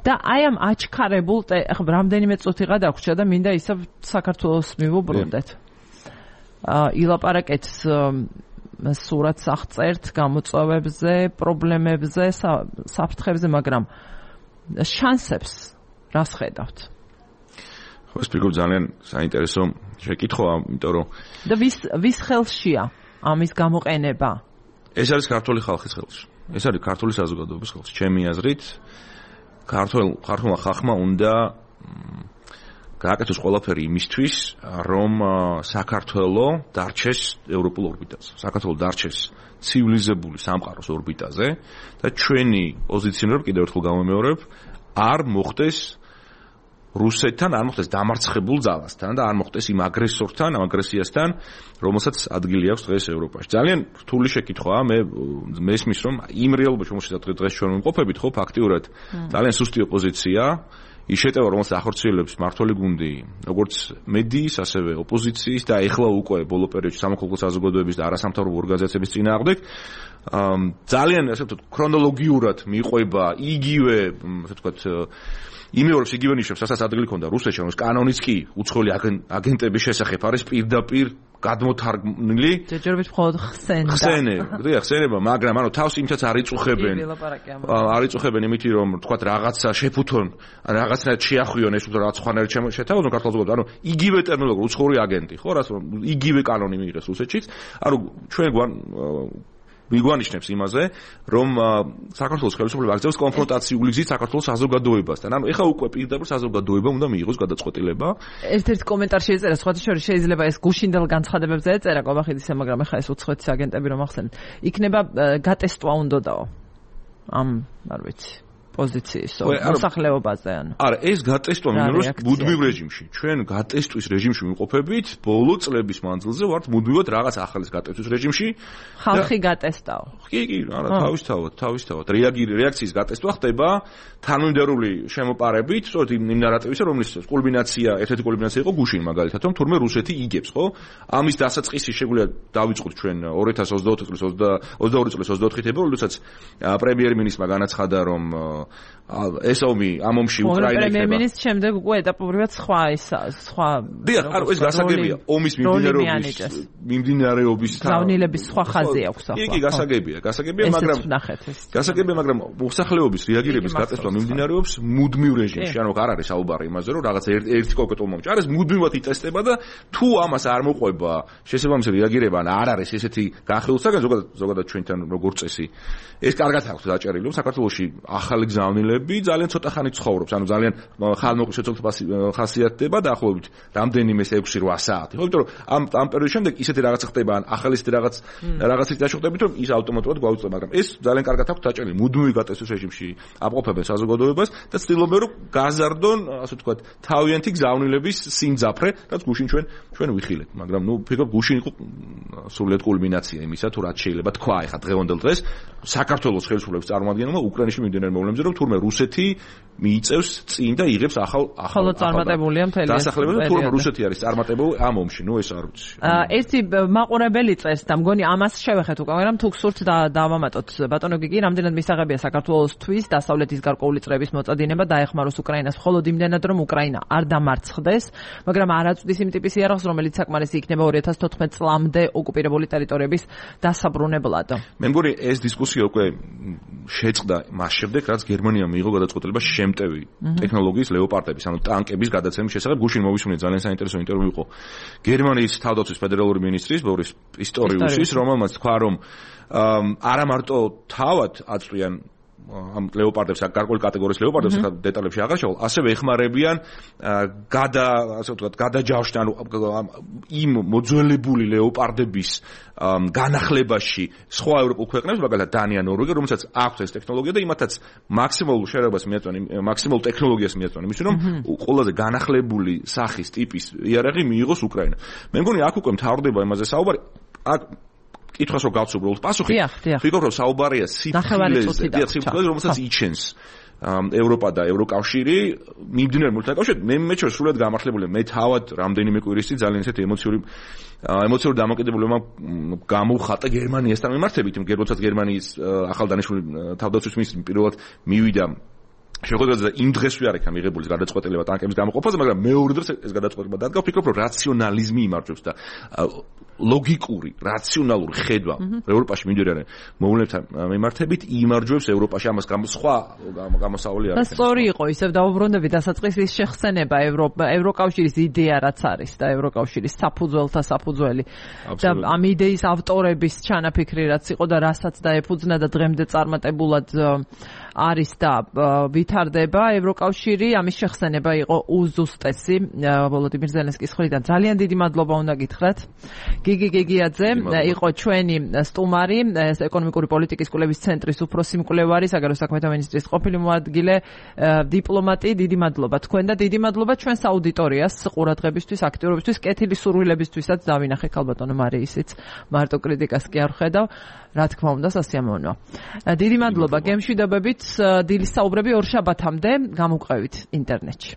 და აი ამ აჩქარებულ ახლა რამდენიმე წუთი გადაგვრჩა და მინდა ისევ საქართველოს მივუბრუნდეთ ილაპარაკეთ სურათს აღწერთ გამოწვევებზე პრობლემებზე საფრთხებზე მაგრამ შანსებს რას ხედავთ? ხო, ეს ფიქრობ ძალიან საინტერესო შეკითხვაა, იმიტომ რომ და ვის ხელშია ამის გამოყენება? ეს არის ქართული ხალხის ხელში. ეს არის ქართული საზოგადოების ხელში. ჩემი აზრით, ქართულმა ხალხმა უნდა გააკეთოს ყველაფერი იმისთვის, რომ საქართველო დარჩეს ევროპულ ორბიტაზე. საქართველო დარჩეს ცივილიზებული სამყაროს ორბიტაზე და ჩვენი პოზიციონირება კიდევ ერთხელ გამომეორებ, არ მოხდეს რუსეთთან არ მოხდეს დამარცხებულ ძალასთან და არ მოხდეს იმ აგრესორთან, ამ აგრესიასთან, რომელსაც ადგილი აქვს დღეს ევროპაში. ძალიან რთული შეკითხვაა, მე მესმის რომ იმ რეალობაში რომელშიც დღეს ჩვენ ვიმყოფებით, ხო, ფაქტიურად ძალიან სუსტი ოპოზიცია, ის შეტევა, რომელსაც ახორციელებს მართველი გუნდი, როგორც მედიის, ასევე ოპოზიციის და ეხლა უკვე ბოლო პერიოდში სამოქალაქო საზოგადოების და არასამთავრობო ორგანიზაციების წინააღმდეგ ძალიან ასე ვთქვათ, ქრონოლოგიურად მიყვება იგივე, ასე ვთქვათ, იმეორებს იგივე ნიშნებს, რასაც ადგილი ჰქონდა რუსეთში, რომ კანონიც კი უცხოელი აგენტების შესახებ არის პირდაპირ გადმოთარგმნილი. ჯერჯერობით მხოლოდ ხსენება, მაგრამ ანუ თავს იმითაც არ იწუხებენ იმითი რომ თქვათ რაღაცა შეფუთონ, რაღაცნაირად შეახვიონ ეს რაღაც ხვანერი შეთავაზონ ქართულ საზოგადოებას. ანუ იგივე ტერმინოლოგია უცხოური აგენტი, ხო, რაც იგივე კანონი მიიღეს რუსეთშიც. ანუ ჩვენ მიგვანიშნებს იმაზე, რომ საქართველოს ხელისუფლება აგრძელებს კონფრონტაციული გზით საქართველოს საზოგადოებასთან. ანუ ეხა უკვე პირდაპირ საზოგადოება უნდა მიიღოს გადაწყვეტილება. ერთ-ერთი კომენტარში ეწერა, სხვათა შორის შეიძლება ეს გუშინდელ განცხადებებზე ეწერა კობახიდისა, მაგრამ ეხა ეს უცხოეთის აგენტები რომ ახსენეთ, იქნება გატესტვა უნდაო. ამ არ ვიცი. პოზიციის მოსახლეობაზე ანუ. არა, ეს გატესტვა მინდოროს მუდმივ რეჟიმში. ჩვენ გატესტვის რეჟიმში ვიმყოფებით, ბოლო წლების მანძილზე ვართ მუდმივად რაღაც ახალის გატესტვის რეჟიმში. ხალხი გატესტაო. კი, არა, თავისთავად. რეაქციის გატესტვა ხდება თანმიმდევრული შემოპარებით, სწორედ იმ ნარატივისა, რომლის კულმინაცია, ერთ-ერთი კულმინაცია იყო გუშინ მაგალითად, რომ თურმე რუსეთი იგებს, ხო? ამის დასაწყისი შეგვიძლია დავიწყოთ ჩვენ 2024 წლის 22 წლის 24 თებერვალს, როდესაც პრემიერ-მინისტრმა განაცხადა, რომ ეს ომი ამ ომში უკრაინა იქნება. პრემიერ-მინისტრის შემდეგ უკვე ეტაპობრივად სხვა დიახ, ანუ ეს გასაგებია, ომის მიმდინარეობის ზავნილების სხვა ხაზი აქვს ახლა. კი, გასაგებია, მაგრამ მოსახლეობის რეაგირების გატესტვა მიმდინარეობს მუდმივ რეჟიმში, ანუ არ არის საუბარი იმაზე, რომ რაღაც ერთი კონკრეტულ მომენტში არის მუდმივად იტესტება და თუ ამას არ მოყვება შესაბამისი რეაგირება, ან არ არის ესეთი განხილვისაგან ზოგადად ჩვენთან როგორც წესი. ეს კარგად აქვს დაჭერილი, რომ საქართველოში ახალი გზავნილები ძალიან ცოტა ხანი ცხოვრობს, ანუ ძალიან ხალხმოყრის ხასიათდება დაახლოებით რამდენიმე 6-8 საათი. ხო, იმიტომ რომ ამ პერიოდის შემდეგ ისეთი რაღაც ხდება, ან ახალი ისეთი რაღაცით დაშოხდებით, რომ ის ავტომატურად გვაუწყდება, მაგრამ ეს ძალიან კარგად აქვს დაჭერილი, მუდმივი გატესტვის რეჟიმში აპყოფებენ საზოგადოებას და ცდილობენ რომ გაზარდონ, ასე ვთქვათ, თავიანთი გზავნილების სიმძაფრე, რაც გუშინ ჩვენ ვიხილეთ, მაგრამ ნუ ფიქრობ გუშინ იყო სრულიად კულმინაცია იმისა, თუ რაც შეიძლება თქვა ეხა დღევანდელ დღეს საქართველოს ხელისუფლების წარმომადგენელმა უკრაინის მიმდინარე მოვლენებზე დონეზე, რომ თურმე რუსეთი მიიწევს წინ და იღებს ახალ წარმატებულია მთელი დასახლებები, თურმე რუსეთი არის წარმატებული ამ ომში, ეს არ ვიცი. ერთი მაყურებელი წერს და მგონი ამას შევეხეთ უკვე, მაგრამ თუ გსურთ დავამატოთ. ბატონო გიგი, რამდენად მისაღებია საქართველოსთვის დასავლეთის გარკვეული წრების მოწადინება დაეხმაროს უკრაინას მხოლოდ იმდენად, რომ უკრაინა არ დამარცხდეს, მაგრამ არ აწვდის იმ ტიპის იარაღს, რომელიც საკმარისი იქნება 2014 წლამდე ოკუპირებული ტერიტორიების დასაბრუნებლად. მე მგონი ეს დისკუსია უკვე შეწყდა მას შემდეგ, რაც გერმანიამ მიიღო გადაწყვეტილება შემტევი ტექნოლოგიის ლეოპარდების, ანუ ტანკების გადაცემის შესახებ. გუშინ მოვისმინე ძალიან საინტერესო ინტერვიუ იყო გერმანიის თავდაცვის ფედერალური მინისტრის ბორის პისტორიუსის, რომელმაც თქვა, რომ არა მარტო თავად აწვიან ამ ლეოპარდებს, გარკვეული კატეგორიის ლეოპარდებს, დეტალებში აღარ შევალ, ასევე ეხმარებიან გადაჯავშნ, ანუ იმ მოძველებული ლეოპარდების განახლებაში სხვა ევროპულ ქვეყნებს, მაგალითად დანია, ნორვეგია, რომელსაც აქვს ეს ტექნოლოგია და იმათაც მაქსიმალურ შერევლებას მიაწვენ, მაქსიმალურ ტექნოლოგიას მიაწვენ, იმისთვის რომ ყველაზე განახლებული სახის ტიპის იარაღი მიიღოს უკრაინა. მე მგონი აქ უკვე მთავრდება იმაზე საუბარი, აქ კითხვას რო გავცუბროთ პასუხი, ვფიქრობ რომ საუბარია სიფხილეზე, რომელსაც იჩენს ევროპა და ევროკავშირი მიმდინარე მართლაკავშირით. მე ჩვენ სულად გამართლებული, მე თავად რამდენიმე კვირის წინ ძალიან ისეთი ემოციური დამოკიდებულება გამოვხატა გერმანიასთან მიმართებით, როდესაც გერმანიის ახალდანიშნული თავდაცვის მინისტრი პირველად მივიდა შეხვედრაზე და იმ დღესვე არ იქნა მიღებული გადაწყვეტილება ტანკების გამოყოფაზე, მაგრამ მეორე დღეს ეს გადაწყვეტილება დადგა. ვფიქრობ, რომ რაციონალიზმი იმარჯვებს და ლოგიკური, რაციონალური ხედვა ევროპაში მიმდინარე მოვლენებთან მიმართებით იმარჯვებს ევროპაში. ამას სხვა გამოსავალი არ აქვს. სწორი იყო ისევ დაუბრუნდები დასაწყისის შეხსენება ევროკავშირის იდეა რაც არის და ევროკავშირის საფუძველთა საფუძველი და ამ იდეის ავტორების ჩანაფიქრი რაც იყო და რასაც დაეფუძნა და დღემდე წარმატებულად არის და ვითარდება ევროკავშირი, ამის შეხსენება იყო უზუსტესი ვოლოდიმირ ზელენსკის მხრიდან. ძალიან დიდი მადლობა უნდა გითხრათ. გიგი გიგიაძე იყო ჩვენი სტუმარი, ეკონომიკური პოლიტიკის კვლევის ცენტრის უფროსი მკვლევარი, საგარეო საქმეთა მინისტრის ყოფილი მოადგილე, დიპლომატი. დიდი მადლობა თქვენ და დიდი მადლობა ჩვენს აუდიტორიას ყურადღებისთვის, აქტიურობისთვის, კეთილი სურვილებისთვისაც დავინახე ქალბატონო მარიისიც. მარტო კრიტიკას კი არ ხედავ, რა თქმა უნდა, სასიამოვნოა. დიდი მადლობა, გემშვიდობებით. დილის საუბრები ორ შაბათამდე გამოვყევით ინტერნეტში.